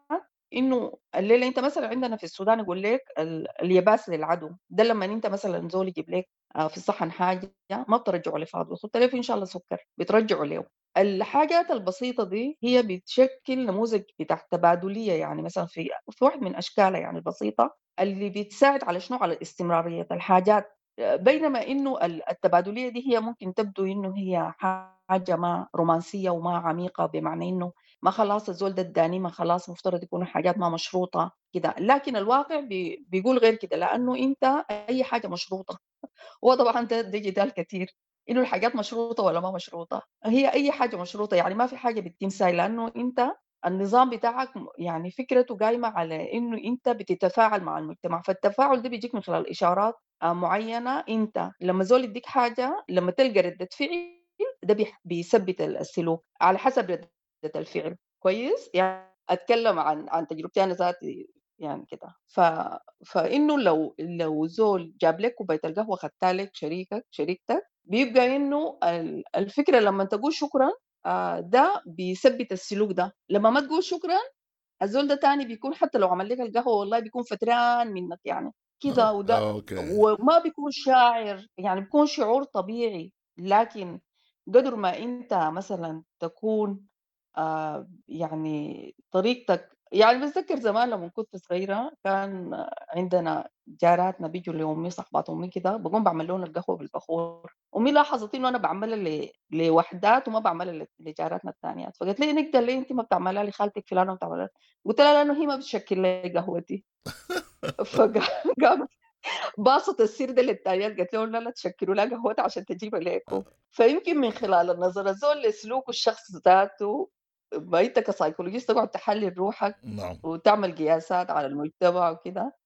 انه الليلة انت مثلا عندنا في السودان يقول لك اليباس للعدو، ده لما انت مثلا زول يجيب لك في الصحن حاجة ما بترجعوا لفاضل، وخدت له ان شاء الله سكر بترجعوا له. الحاجات البسيطة دي هي بتشكل نموذج بتاع تبادلية، يعني مثلا في واحد من أشكالها يعني البسيطة اللي بتساعد على شنو؟ على استمرارية الحاجات. بينما إنه التبادلية دي هي ممكن تبدو إنه هي حاجة ما رومانسية وما عميقة، بمعنى إنه ما خلاص الزول ده اداني، ما خلاص مفترض يكون حاجات ما مشروطة كده، لكن الواقع بيقول غير كده، لأنه أنت أي حاجة مشروطة. وطبعا ده جدال كثير إنه الحاجات مشروطة ولا ما مشروطة. هي أي حاجة مشروطة، يعني ما في حاجة بتتم ساي، لأنه أنت النظام بتاعك يعني فكرته قايمة على إنه أنت بتتفاعل مع المجتمع، فالتفاعل ده بيجيك من خلال إشارات معينة. أنت لما زول يديك حاجة لما تلقى ردة فعل ده بيثبت السلوك على حسب ردة الفعل. كويس؟ يعني أتكلم عن تجربتي أنا ذاتي يعني كده. فإنه لو زول جاب لك كوباية القهوة خدتها لك شريكتك، بيبقى إنه الفكرة لما تقول شكرا ده بيثبت السلوك ده. لما ما تقول شكرا الزول ده تاني بيكون حتى لو عمل لك القهوة والله بيكون فتران منك يعني كده، وده وما بيكون شاعر، يعني بيكون شعور طبيعي. لكن قدر ما انت مثلا تكون يعني طريقتك، يعني بتذكر زمان لما كنت صغيرة كان عندنا جاراتنا بيجوا لأمي، صاحبات أمي كده، بقوم بعمل لهم القهوة بالبخور. أمي لاحظت إنه أنا بعملها لوحدات وما بعملها لجاراتنا الثانيات، فقالت لي نقدر ليه أنت ما بتعملها لخالتك فلانة وبتعملها؟ قلت لها لأنه هي ما بتشكل لي قهوتي. فقامت باصت السير ده للتانيات، قالت لهم لا تشكلوا لها قهوتها عشان تجيبها لكم. فيمكن من خلال النظر الزول لسلوك الشخص ذاته، ما انت ك psychologist تقعد تحلل روحك. نعم. وتعمل قياسات على المجتمع وكده.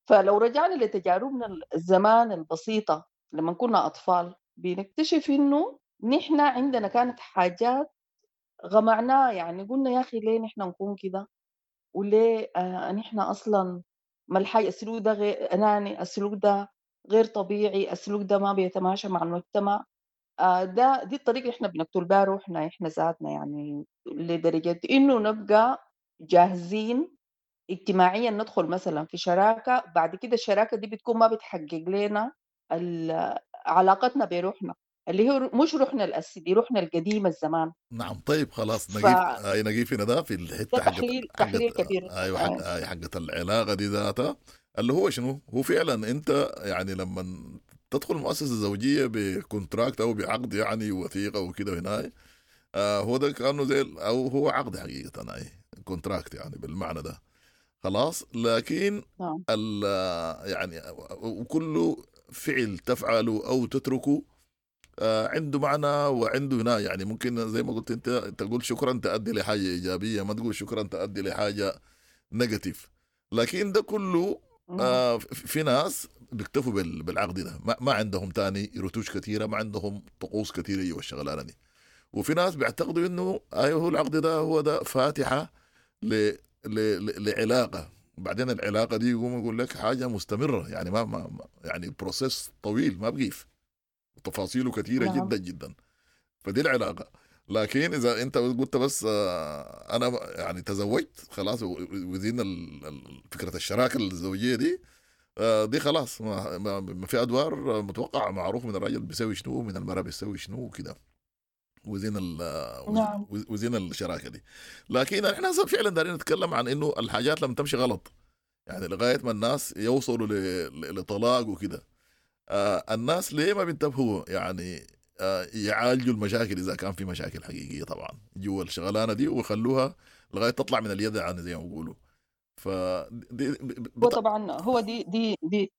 فلو رجعنا لتجاربنا الزمان البسيطة لما كنا أطفال، بنكتشف إنه نحن عندنا كانت حاجات غمعناها، يعني قلنا يا أخي ليه نحن نكون كده، وليه نحن أصلا ما الحاجة، السلوك ده غير أناني، السلوك ده غير طبيعي، السلوك ده ما بيتماشى مع المجتمع. ده دي الطريقة اللي إحنا بنقتل بها روحنا إحنا ذاتنا، يعني لدرجة إنه نبقى جاهزين اجتماعيا ندخل مثلا في شراكة، بعد كده الشراكة دي بتكون ما بتحقق لنا علاقتنا بروحنا اللي هي مش روحنا الأساسي، دي روحنا القديمة الزمان. نعم. طيب خلاص نقيف هنا ده في الحتة حقت تحليل كبير. أيوة حقت العلاقة دي ذاتها اللي هو شنو هو فعلا. أنت يعني لما تدخل المؤسسة الزوجية ب contract أو بعقد يعني وثيقة وكده هنا، هو ده كأنه زي أو هو عقد حقيقة، أي contract يعني بالمعنى ده خلاص. لكن يعني وكل فعل تفعله أو تتركه عنده معنى وعنده هنا، يعني ممكن زي ما قلت أنت تقول شكرا تؤدي لحاجة إيجابية، ما تقول شكرا تؤدي لحاجة negative. لكن ده كله في ناس بيكتفوا بالعقد ده، ما عندهم تاني رتوش كثيرة، ما عندهم طقوس كثيرة جوا الشغلانة دي. وفي ناس بيعتقدوا إنه أيوه هو العقد ده هو ده فاتحة لعلاقة، بعدين العلاقة دي يقوم يقول لك حاجة مستمرة، يعني ما يعني process طويل ما بقيف، تفاصيله كثيرة. نعم. جدا جدا. فدي العلاقة. لكن إذا أنت قلت بس أنا يعني تزوجت خلاص وزين فكرة الشراكة الزوجية دي، دي خلاص ما في أدوار متوقع معروف من الراجل بيسوي شنو من المرأة بيسوي شنو وكده، وزين نعم. وزين الشراكة دي. لكن احنا فعلا دارين نتكلم عن إنه الحاجات لما تمشي غلط، يعني لغاية ما الناس يوصلوا لطلاق وكده، الناس ليه ما بينتبهوا يعني يعالجوا المشاكل إذا كان في مشاكل حقيقية طبعا جوا الشغلانة دي، ويخلوها لغاية تطلع من اليد يعني زي ما بيقولوا. هو طبعا هو دي دي دي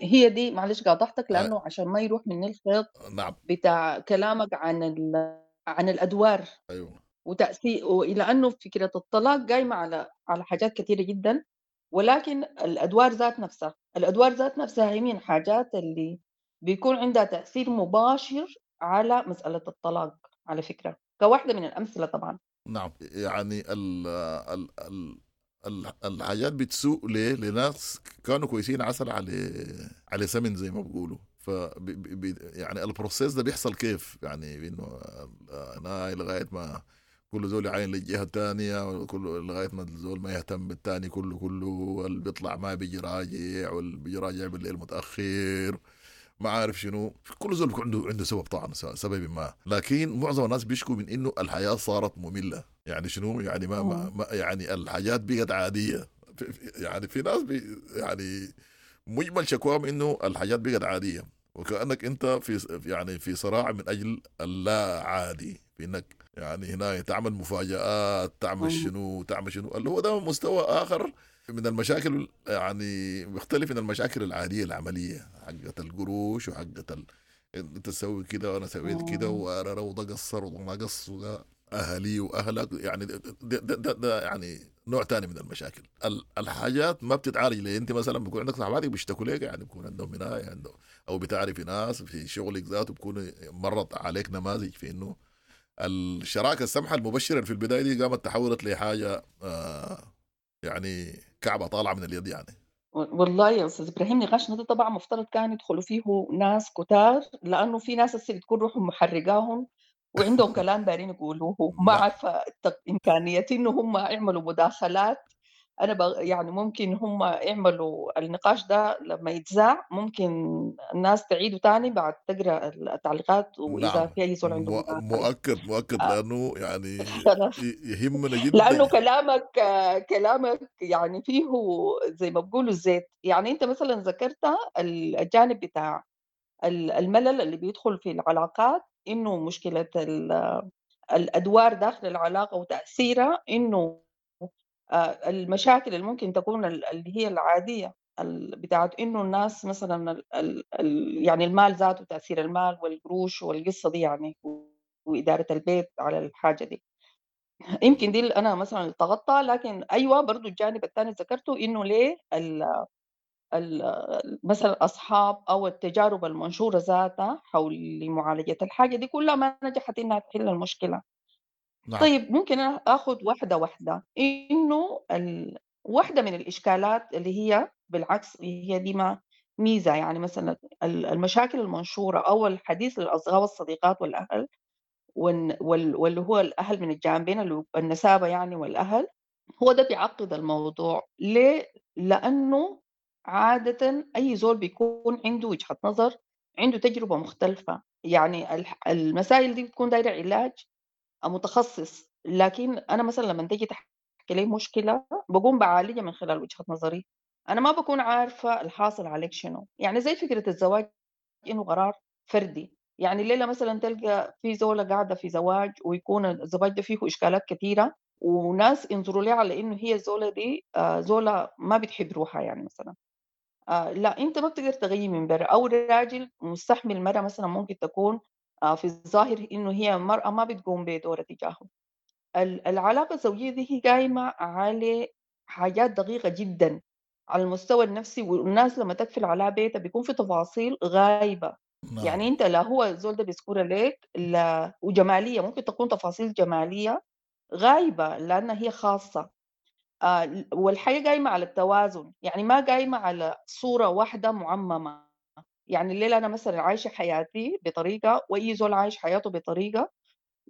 هي دي، معلش قاطعتك لأنه عشان ما يروح مني الخيط. نعم. بتاع كلامك عن الأدوار. أيوة. وتأثير، وإلى أنه فكرة الطلاق قايمة على حاجات كثيرة جدا، ولكن الأدوار ذات نفسها، الأدوار ذات نفسها هي من حاجات اللي بيكون عندها تأثير مباشر على مسألة الطلاق على فكرة، كواحدة من الأمثلة طبعا. نعم. يعني ال ال ال الحاجات بتسوء ليه؟ لناس كانوا كويسين عسل على سمن زي ما بيقولوا. ف يعني ال process ده بيحصل كيف؟ يعني انه انا لغاية ما كل زول يعاين للجهة الثانية، كل لغاية ما الزول ما يهتم بالثاني، كله اللي بيطلع ما بيجي راجع، واللي بيجي راجع بالليل متاخر، ما عارف شنو. كل زول بيكون عنده سبب طبعا، سبب ما. لكن معظم الناس بيشكوا من انه الحياة صارت مملة. يعني شنو يعني ما, ما يعني الحاجات بقت عادية. يعني في ناس يعني مجمل شكواهم انه الحاجات بقت عادية، وكانك انت في يعني في صراع من اجل اللا عادي، في انك يعني هنا تعمل مفاجآت، تعمل شنو تعمل شنو، اللي هو ده مستوى اخر من المشاكل، يعني بيختلف من المشاكل العادية العملية حقت القروش وحقت انت تسوي كده وانا سويت كده وده قصر وده ما قص وده اهلي واهلك، يعني ده يعني نوع تاني من المشاكل. الحاجات ما بتتعالج ليه؟ انت مثلا بيكون عندك صحباتك بيشتكوا لك، يعني بيكون عندهم هنا يعني، او بتعرفي ناس في شغلك ذاته بيكون مرت عليك نماذج في انه الشراكة السمحة المبشره في البداية دي قامت تحولت لحاجة يعني كعبه طالعه من اليد يعني. والله يا استاذ ابراهيم نقاشنا ده طبعا مفترض كان يدخلوا فيه ناس كتار، لانه في ناس هسه بتكون روحهم محرقاهم وعندهم كلام دارين يقولوه، ما عارفة إمكانية إنه هم يعملوا مداخلات. أنا يعني ممكن هم يعملوا النقاش ده لما يتذاع، ممكن الناس تعيده تاني بعد تقرأ التعليقات، وإذا نعم. في أي زول عنده مداخلة. مؤكد لأنه يعني يهمنا جدا. لأنه كلامك يعني فيه زي ما بقولوا الزيت. يعني أنت مثلا ذكرت الجانب بتاع الملل اللي بيدخل في العلاقات، إنه مشكلة الأدوار داخل العلاقة وتأثيرها، إنه المشاكل اللي ممكن تكون اللي هي العادية بتاعت إنه الناس مثلاً يعني المال ذاته، تأثير المال والقروش والقصة دي يعني، وإدارة البيت على الحاجة دي. يمكن دي اللي أنا مثلاً التغطى. لكن أيوة برضو الجانب الثاني ذكرته، إنه ليه مثلاً أصحاب أو التجارب المنشورة ذاتها حول معالجة الحاجة دي كلها ما نجحت إنها تحل المشكلة. نعم. طيب ممكن أنا آخذ واحدة واحدة. إنه واحدة من الإشكالات اللي هي بالعكس هي دي ما ميزة، يعني مثلاً المشاكل المنشورة أو الحديث للأصدقاء والصديقات والأهل واللي هو الأهل من الجانبين، اللي النسابة يعني والأهل، هو ده بيعقد الموضوع. ليه؟ لأنه عادة أي زول بيكون عنده وجهة نظر، عنده تجربة مختلفة. يعني المسائل دي بتكون دايرة علاج متخصص. لكن أنا مثلاً لما تيجي تحكي لي مشكلة بقوم بعالجها من خلال وجهة نظري، أنا ما بكون عارفة الحاصل عليك شنو. يعني زي فكرة الزواج إنه قرار فردي. يعني الليلة مثلاً تلقى في زولة قاعدة في زواج ويكون الزواج ده فيه إشكالات كثيرة، وناس ينظروا لها على إنه هي الزولة دي زولة ما بتحب روحها يعني مثلاً. لا، أنت ما بتقدر تغيي من برا. أو الراجل مستحمل مرة مثلاً ممكن تكون في الظاهر إنه هي مرأة ما بتقوم بدورها تجاهه. العلاقة الزوجية دي هي قايمة على حاجات دقيقة جداً على المستوى النفسي، والناس لما تقفل على بيتها بيكون في تفاصيل غايبة. نعم. يعني أنت لا هو الزول ده بيذكرها لك، لا وجمالية، ممكن تكون تفاصيل جمالية غايبة لأنها هي خاصة. والحياة قايمة على التوازن، يعني ما قايمة على صورة واحدة معممة. يعني الليلة أنا مثلاً عايشة حياتي بطريقة، وأي زول عايش حياته بطريقة،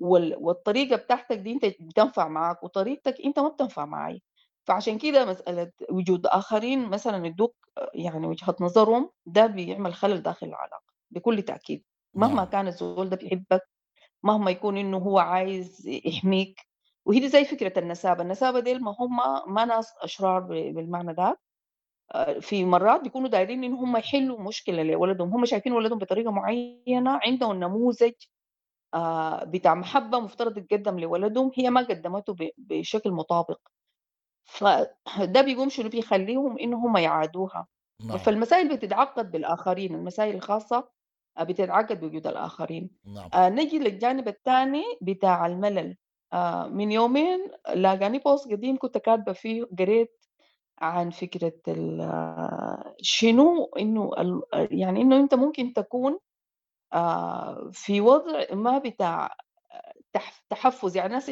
والطريقة بتاعتك دي أنت بتنفع معاك، وطريقتك أنت ما بتنفع معي. فعشان كده مسألة وجود آخرين مثلاً يدوك يعني وجهة نظرهم، ده بيعمل خلل داخل العلاقة بكل تأكيد. مهما نعم. كان الزول ده بيحبك، مهما يكون إنه هو عايز يحميك. وهي دي زي فكرة النسابة. النسابة ديل ما هم ما ناس أشرار بالمعنى ده. في مرات بيكونوا دايرين إن هم يحلوا مشكلة لولدهم، هم شايفين ولدهم بطريقة معينة، عندهم نموذج بتاع محبة مفترض يتقدم لولدهم، هي ما قدمته بشكل مطابق. فده بيقوم شنو بيخليهم إن هم يعادوها. نعم. فالمسائل بتتعقد بالآخرين، المسائل الخاصة بتتعقد بوجود الآخرين. نعم. نجي للجانب الثاني بتاع الملل. من يومين لاقاني بوست قديم كنت كاتبة فيه، قريت عن فكرة شنو إنه يعني إنه أنت ممكن تكون في وضع ما بتاع تحفز. يعني الناس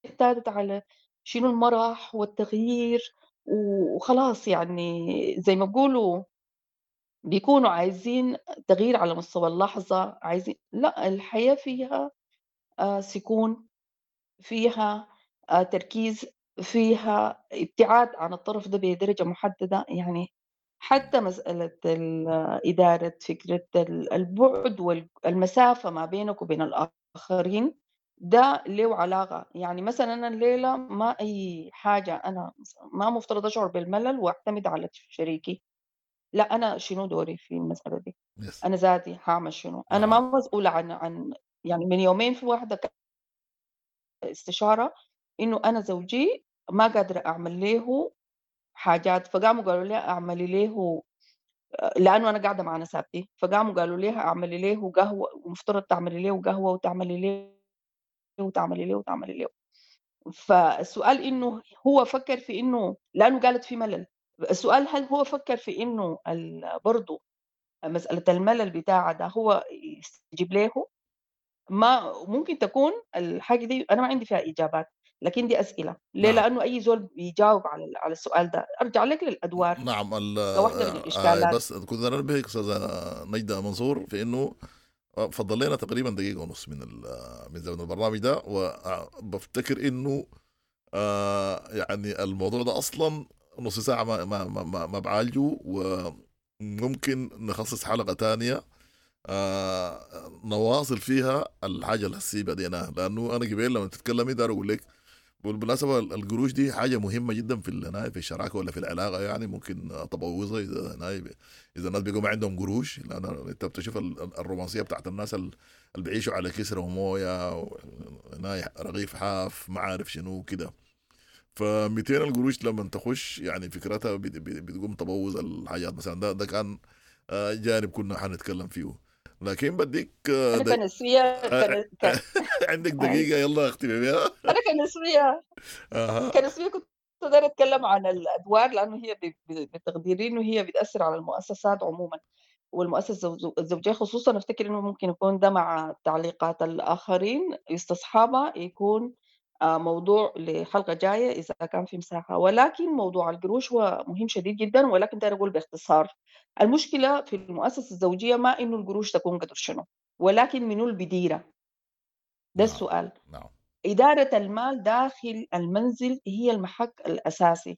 اعتادت على شنو المرح والتغيير وخلاص، يعني زي ما بيقولوا بيكونوا عايزين تغيير على مستوى اللحظة، عايزين لا، الحياة فيها سكون، فيها تركيز، فيها ابتعاد عن الطرف ده بدرجة محددة. يعني حتى مسألة إدارة فكرة البعد والمسافة ما بينك وبين الآخرين ده له علاقة. يعني مثلا أنا الليلة ما أي حاجة، أنا ما مفترض أشعر بالملل وأعتمد على شريكي، لا، أنا شنو دوري في المسألة دي؟ أنا ذاتي هعمل شنو؟ أنا ما مسؤولة عن يعني من يومين في واحدة استشارة إنه أنا زوجي ما قادرة أعمل له حاجات، فقاموا قالوا لي أعملي له، لأنه أنا قاعدة مع نسابتي، فقاموا قالوا ليها أعملي له قهوة، ومفترض تعملي له قهوة وتعملي له وتعملي له وتعملي له. فالسؤال إنه هو فكر في إنه، لأنه قالت في ملل، السؤال هل هو فكر في إنه برضو مسألة الملل بتاعه ده هو يستجيب له؟ ما ممكن تكون الحاجة دي أنا ما عندي فيها إجابات، لكن دي أسئلة. ليه؟ لأنه أي زول بيجاوب على السؤال ده. أرجع لك للأدوار. نعم، كواحدة من الإشكالات. بس كنت أنبهك أستاذة نجدة منصور في إنه فضل لنا تقريبا دقيقة ونص من من زمن البرنامج ده، وبفتكر انه يعني الموضوع ده اصلا نص ساعة ما بعالجه، وممكن نخصص حلقة تانية نواصل فيها الحاجة اللي هسي بديناها، لانه انا قبل لما تتكلمي دار اقول لك بالمناسبة القروش دي حاجة مهمة جدا في في الشراكة ولا في العلاقة، يعني ممكن تبوظها اذا الناس بيقوا ما عندهم قروش، لان انت بتشوف الرومانسية بتاعت الناس اللي بيعيشوا على كسرة ومويه رغيف حاف ما عارف شنو كده. ف 200 القروش لما تخش يعني فكرتها بتقوم تبوظ الحاجات مثلا. ده كان جانب كنا حنتكلم فيه، لكن بديك انا كنسوية عندك دقيقة يلا اختمي بيها. انا كنسوية كنت دايرة اتكلم عن الادوار، لانه هي بتقديري انه هي بتاثر على المؤسسات عموما والمؤسسة الزوجية خصوصا. افتكر انه ممكن يكون ده مع تعليقات الاخرين يستصحبها يكون موضوع لحلقة جاية إذا كان في مساحة. ولكن موضوع القروش هو مهم شديد جدا، ولكن داير أقول باختصار المشكلة في المؤسسة الزوجية ما إنه القروش تكون قدر شنو، ولكن منو البديرة. ده السؤال. نعم. إدارة المال داخل المنزل هي المحك الأساسي.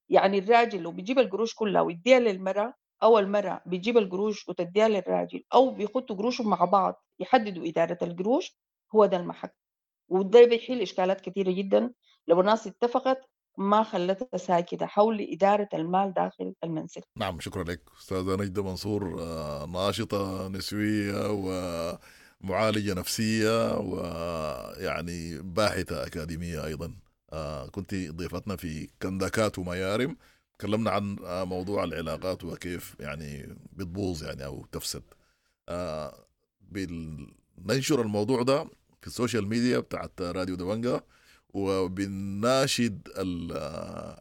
يعني الراجل لو بيجيب القروش كلها ويديها للمرأة، أو المرأة بيجيب القروش وتديها للراجل، أو بيخطوا قروشهم مع بعض يحددوا إدارة القروش، هو ده المحك. وده بيحل إشكالات كثيرة جدا لو الناس اتفقت ما خلتها ساكتة حول إدارة المال داخل المنزل. نعم، شكرا لك أستاذة نجدة منصور، ناشطة نسوية ومعالجة نفسية ويعني باحثة أكاديمية أيضا. كنت ضيفتنا في كنداكات وميارم، تكلمنا عن موضوع العلاقات وكيف يعني بتبوظ يعني أو تفسد. بننشر الموضوع ده في ال social media بتاعت راديو دبنجا، وبنناشد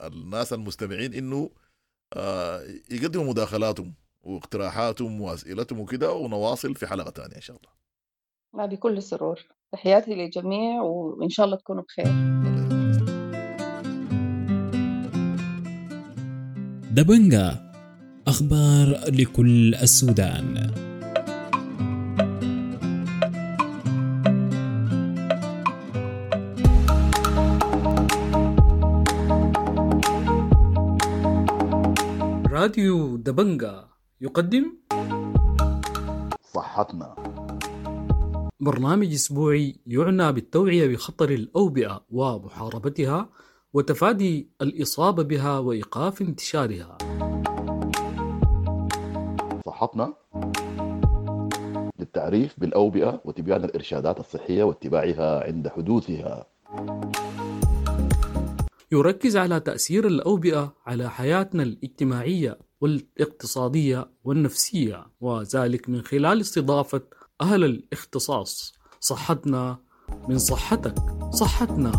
الناس المستمعين انه يقدموا مداخلاتهم واقتراحاتهم واسئلتهم وكده، ونواصل في حلقة ثانية ان شاء الله. بكل سرور. تحياتي للجميع وان شاء الله تكونوا بخير. دبنجا، اخبار لكل السودان. راديو دبنجا يقدم صحتنا، برنامج أسبوعي يعنى بالتوعية بخطر الأوبئة ومحاربتها وتفادي الإصابة بها وإيقاف انتشارها. صحتنا للتعريف بالأوبئة وتبيان الإرشادات الصحية واتباعها عند حدوثها. يركز على تأثير الأوبئة على حياتنا الاجتماعية والاقتصادية والنفسية، وذلك من خلال استضافة أهل الاختصاص. صحتنا من صحتك، صحتنا.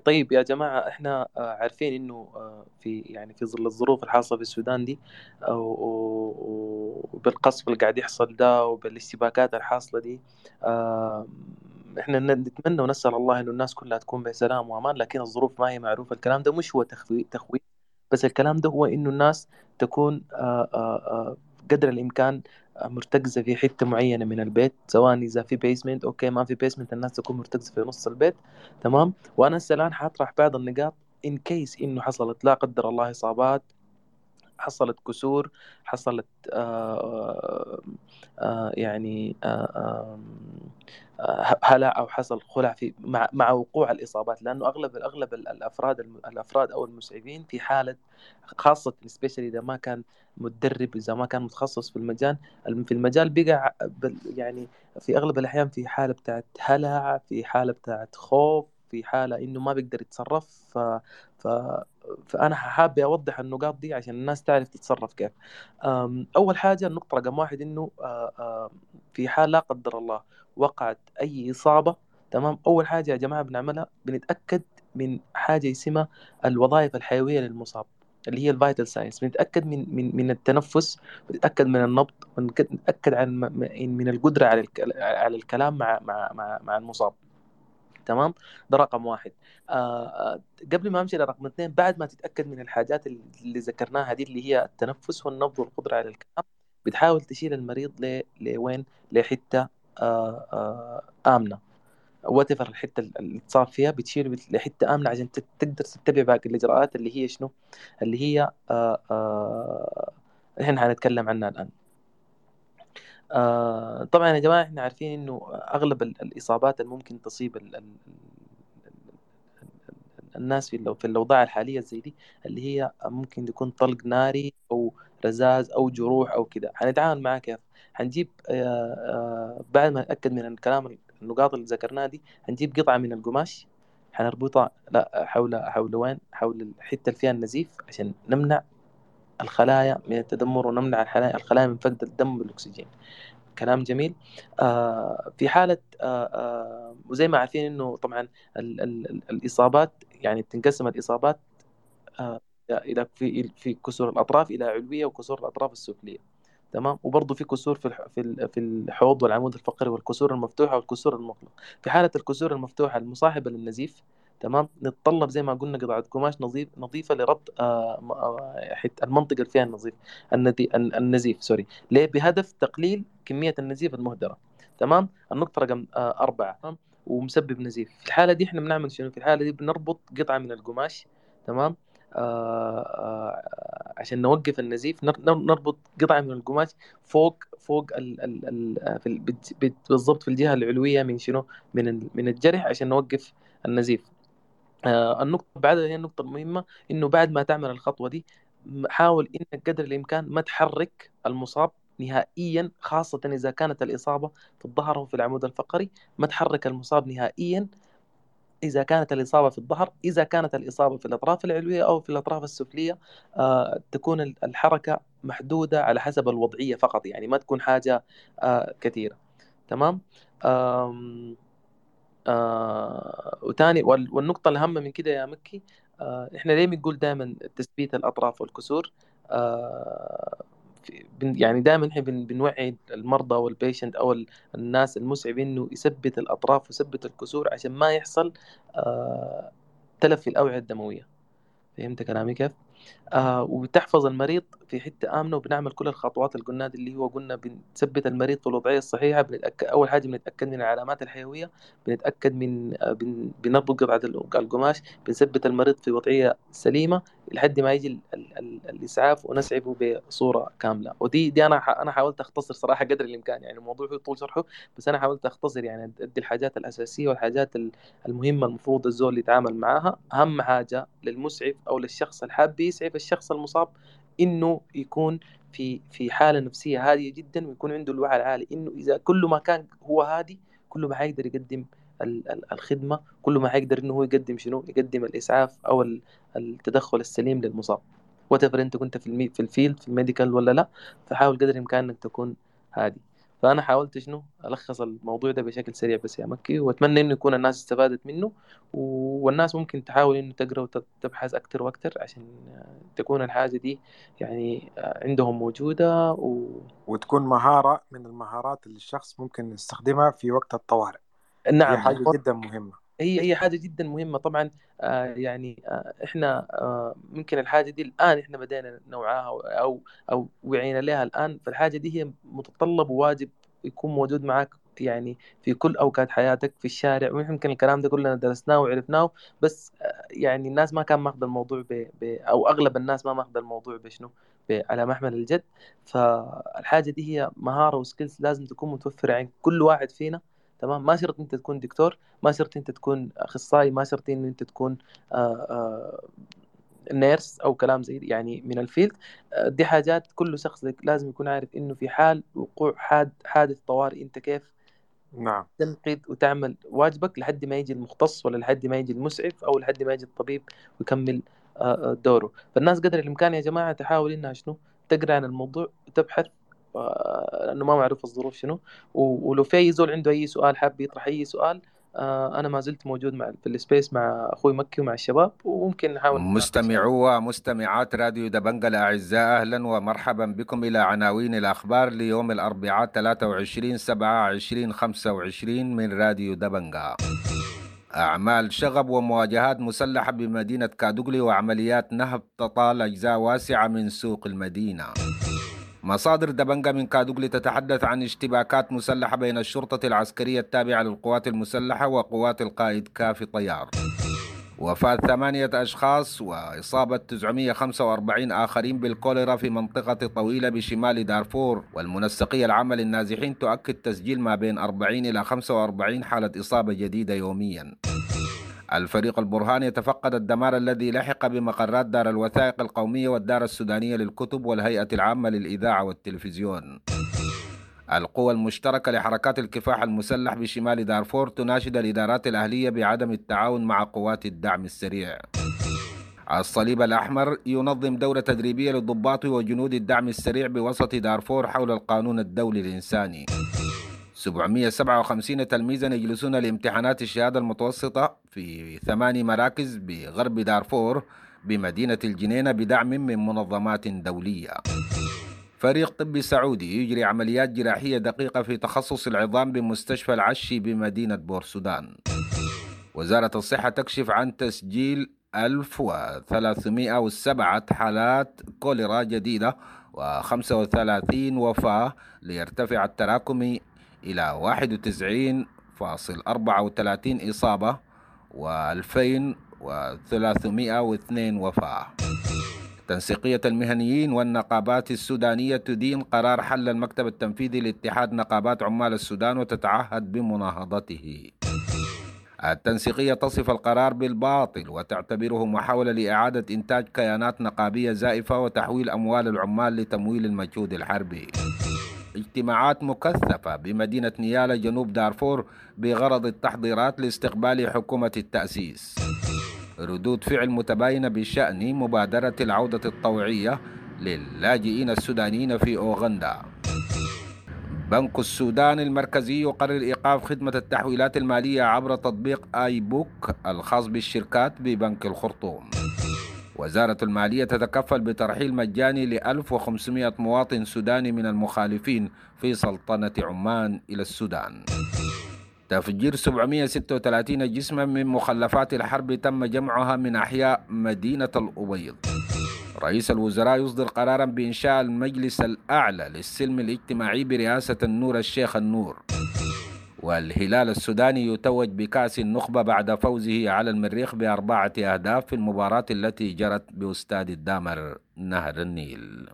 طيب يا جماعة، احنا عارفين انه في يعني في ظل الظروف الحاصلة في السودان دي وبالقصف اللي قاعد يحصل ده وبالاشتباكات الحاصلة دي، احنا نتمنى ونسأل الله انه الناس كلها تكون بسلام وامان، لكن الظروف ما هي معروفة. الكلام ده مش هو تخويف، بس الكلام ده هو انه الناس تكون قدر الامكان مرتكزة في حتة معينة من البيت، سواء إذا في basement okay، ما في basement الناس تكون مرتكزة في نص البيت، تمام. وأنا هسه الآن حاطرح بعض النقاط in case إنه حصلت لا قدر الله إصابات، حصلت كسور، حصلت يعني هلع أو حصل خلع في مع وقوع الإصابات، لأنه أغلب الأفراد أو المسعفين في حالة خاصة especially إذا ما كان متدرب، إذا ما كان متخصص في المجال بقى يعني في أغلب الأحيان في حالة بتاعت هلع، في حالة بتاعت خوف، في حالة إنه ما بيقدر يتصرف. فأنا حابب أوضح النقاط دي عشان الناس تعرف تتصرف كيف. أول حاجة النقطة رقم 1 إنه في حال لا قدر الله وقعت أي إصابة، تمام، أول حاجة يا جماعة بنعملها بنتأكد من حاجة اسمها الوظائف الحيوية للمصاب اللي هي ال vital signs. بنتأكد من التنفس، بنتأكد من النبض، بنتأكد عن من القدرة على الكلام مع مع مع المصاب، تمام، ده رقم واحد. قبل ما امشي لرقم اثنين، بعد ما تتاكد من الحاجات اللي ذكرناها دي اللي هي التنفس والنبض والقدرة على الكلام، بتحاول تشيل المريض لوين؟ لحته امنه، whatever الحتة اللي اتصاب فيها بتشيله لحته امنه عشان تقدر تتبع باقي الاجراءات اللي هي شنو؟ اللي هي احنا حنتكلم عنها الان. طبعا يا جماعة احنا عارفين انه اغلب الاصابات اللي ممكن تصيب الناس في الاوضاع الحالية زي دي اللي هي ممكن تكون طلق ناري او رذاذ او جروح او كده. حنتعامل معاه كيف؟ حنجيب بعد ما نتاكد من الكلام النقاط اللي ذكرناها دي، حنجيب قطعه من القماش حنربطها لا حول وين؟ حول الحتة اللي فيها النزيف عشان نمنع الخلايا من التدمر ونمنع الخلايا من فقد الدم والاكسجين. كلام جميل. في حالة وزي ما عارفين انه طبعا ال ال الاصابات يعني تنقسم الاصابات الى في كسور الاطراف الى علوية وكسور الاطراف السفلية، تمام، وبرضه في كسور في الحوض والعمود الفقري والكسور المفتوحة والكسور المغلقة. في حالة الكسور المفتوحة المصاحبة للنزيف، تمام، نتطلب زي ما قلنا قطعة قماش نظيفة لربط المنطقة اللي فيها النزيف سوري، ليه؟ بهدف تقليل كمية النزيف المهدرة. تمام. النقطة رقم 4 ومسبب نزيف. في الحالة دي احنا بنعمل شنو؟ في الحالة دي بنربط قطعة من القماش، تمام، عشان نوقف النزيف. نربط قطعة من القماش فوق ال في بالضبط في الجهة العلوية من شنو؟ من الجرح عشان نوقف النزيف. النقطة بعدها هي النقطة المهمة، إنه بعد ما تعمل الخطوة دي حاول إنك قدر الإمكان ما تحرك المصاب نهائيا، خاصة إذا كانت الإصابة في الظهر أو في العمود الفقري. ما تحرك المصاب نهائيا إذا كانت الإصابة في الظهر. إذا كانت الإصابة في الأطراف العلوية أو في الأطراف السفلية تكون الحركة محدودة على حسب الوضعية فقط، يعني ما تكون حاجة كثيرة. تمام. وتاني والنقطة الأهم من كده يا مكي، إحنا ليه بنقول دائما تثبيت الأطراف والكسور؟ يعني دائما إحنا بنوعي المرضى وال patient أو الناس المسعفين إنه يثبت الأطراف ويثبت الكسور عشان ما يحصل تلف في الأوعية الدموية. فهمت كلامي كيف؟ وبتحفظ المريض في حتة آمنة، وبنعمل كل الخطوات اللي قلناها اللي هو قلنا بنثبت المريض في الوضعية الصحيحة. بنتأكد أول حاجة بنتأكد من العلامات الحيوية، بنتأكد من بنربط قطعة القماش، بنثبت المريض في وضعية سليمة لحد ما يجي الإسعاف ونسعفه بصورة كاملة. ودي دي أنا حاولت أختصر صراحة قدر الإمكان، يعني الموضوع هو طول شرحه، بس أنا حاولت أختصر يعني أدي الحاجات الأساسية والحاجات المهمة المفروض الزول يتعامل معاها. أهم حاجة للمسعف أو للشخص الحاب يسعف الشخص المصاب إنه يكون في حالة نفسية هادية جدا، ويكون عنده الوعي العالي إنه إذا كل ما كان هو هادي كل ما حيقدر يقدم الخدمة، كل ما حيقدر إنه هو يقدم شنو؟ يقدم الإسعاف أو التدخل السليم للمصاب. whatever أنت كنت في ال field في ال medical ولا لا، فحاول قدر الإمكان إنك تكون هادي. فأنا حاولت شنو ألخص الموضوع ده بشكل سريع بس يا مكي، وأتمنى إنه يكون الناس استفادت منه، والناس ممكن تحاول إنه تقرأ وتبحث أكتر وأكتر عشان تكون الحاجة دي يعني عندهم موجودة وتكون مهارة من المهارات اللي الشخص ممكن يستخدمها في وقت الطوارئ. نعم، دي حاجة جدا مهمة. هي حاجة جدا مهمة طبعا. يعني احنا ممكن الحاجة دي الآن احنا بدينا نوعاها أو وعينا لها الآن، فالحاجة دي هي متطلب وواجب يكون موجود معك يعني في كل أوقات حياتك في الشارع. ويمكن الكلام ده كلنا درسناه وعرفناه، بس يعني الناس ما كان ماخذ الموضوع أو أغلب الناس ما ماخذ الموضوع بشنو على محمل الجد. فالحاجة دي هي مهارة و skills لازم تكون متوفرة عند كل واحد فينا. تمام، ما شرط انت تكون دكتور، ما شرط انت تكون اخصائي، ما شرط ان انت تكون nurse او كلام زي يعني من ال field. دي حاجات كل شخص لازم يكون عارف انه في حال وقوع حادث طوارئ انت كيف نعم تنقذ وتعمل واجبك لحد ما يجي المختص ولا لحد ما يجي المسعف او لحد ما يجي الطبيب ويكمل دوره. فالناس قدر الامكان يا جماعة تحاول انها شنو تقرا عن الموضوع وتبحث، لانه ما معروف الظروف شنو. ولو في اي زول عنده اي سؤال حاب يطرح اي سؤال، انا ما زلت موجود مع في ال space مع اخوي مكي ومع الشباب، وممكن نحاول. مستمعو ومستمعات راديو دبنجة الاعزاء، اهلا ومرحبا بكم الى عناوين الاخبار ليوم الاربعاء 23/7/2025 من راديو دبنجة. أعمال شغب ومواجهات مسلحة بمدينة كادوغلي وعمليات نهب تطال أجزاء واسعة من سوق المدينة. مصادر دبنجة من كادوغلي تتحدث عن اشتباكات مسلحة بين الشرطة العسكرية التابعة للقوات المسلحة وقوات القائد كافي طيار. وفاة 8 أشخاص وإصابة 945 آخرين بالكوليرا في منطقة طويلة بشمال دارفور. والمنسقية العامة للنازحين تؤكد تسجيل ما بين 40 إلى 45 حالة إصابة جديدة يوميا. الفريق البرهان يتفقد الدمار الذي لحق بمقرات دار الوثائق القومية والدار السودانية للكتب والهيئة العامة للإذاعة والتلفزيون. القوى المشتركة لحركات الكفاح المسلح بشمال دارفور تناشد الإدارات الأهلية بعدم التعاون مع قوات الدعم السريع. الصليب الأحمر ينظم دورة تدريبية للضباط وجنود الدعم السريع بوسط دارفور حول القانون الدولي الإنساني. 757 تلميذا يجلسون لامتحانات الشهادة المتوسطة في 8 مراكز بغرب دارفور بمدينة الجنينة بدعم من منظمات دولية. فريق طبي سعودي يجري عمليات جراحية دقيقة في تخصص العظام بمستشفى العشي بمدينة بورسودان. وزارة الصحة تكشف عن تسجيل 1307 حالات كوليرا جديدة و35 وفاة، ليرتفع التراكمي إلى 91.34 إصابة و2302 وفاة. تنسيقية المهنيين والنقابات السودانية تدين قرار حل المكتب التنفيذي لاتحاد نقابات عمال السودان وتتعهد بمناهضته. التنسيقية تصف القرار بالباطل وتعتبره محاولة لإعادة إنتاج كيانات نقابية زائفة وتحويل أموال العمال لتمويل المجهود الحربي. اجتماعات مكثفة بمدينة نيالا جنوب دارفور بغرض التحضيرات لاستقبال حكومة التأسيس. ردود فعل متباينة بشأن مبادرة العودة الطوعية للاجئين السودانيين في أوغندا. بنك السودان المركزي يقرر إيقاف خدمة التحويلات المالية عبر تطبيق آي بوك الخاص بالشركات ببنك الخرطوم. وزارة المالية تتكفل بترحيل مجاني ل 1500 مواطن سوداني من المخالفين في سلطنة عمان إلى السودان. تفجير 736 جسما من مخلفات الحرب تم جمعها من أحياء مدينة الأبيض. رئيس الوزراء يصدر قرارا بإنشاء المجلس الأعلى للسلم الاجتماعي برئاسة النور الشيخ النور. والهلال السوداني يتوج بكأس النخبة بعد فوزه على المريخ ب4 أهداف في المباراة التي جرت باستاد الدامر نهر النيل.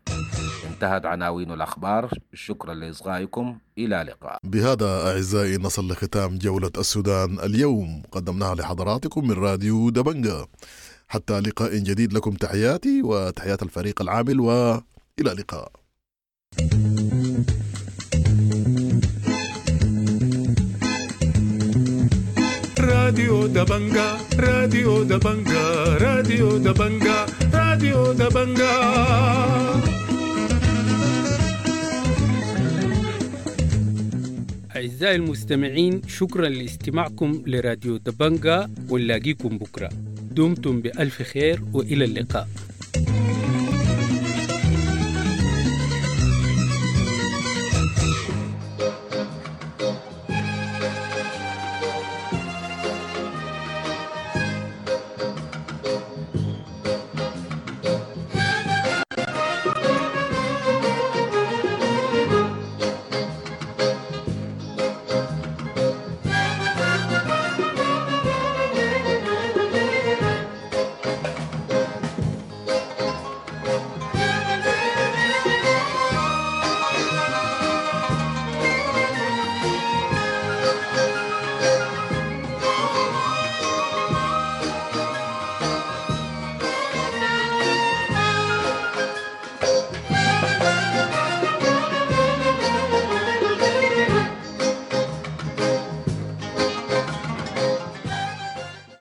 انتهت عناوين الأخبار، شكرا لإصغائكم، إلى اللقاء. بهذا أعزائي نصل لختام جولة السودان اليوم، قدمناها لحضراتكم من راديو دبنجا. حتى لقاء جديد، لكم تحياتي وتحيات الفريق العامل، وإلى اللقاء. راديو دبنجا، راديو دبنجا، راديو دبنجا، راديو دبنجا. أعزائي المستمعين، شكرا لاستماعكم لراديو دبنجا، ونلاقيكم بكرة. دمتم بألف خير وإلى اللقاء.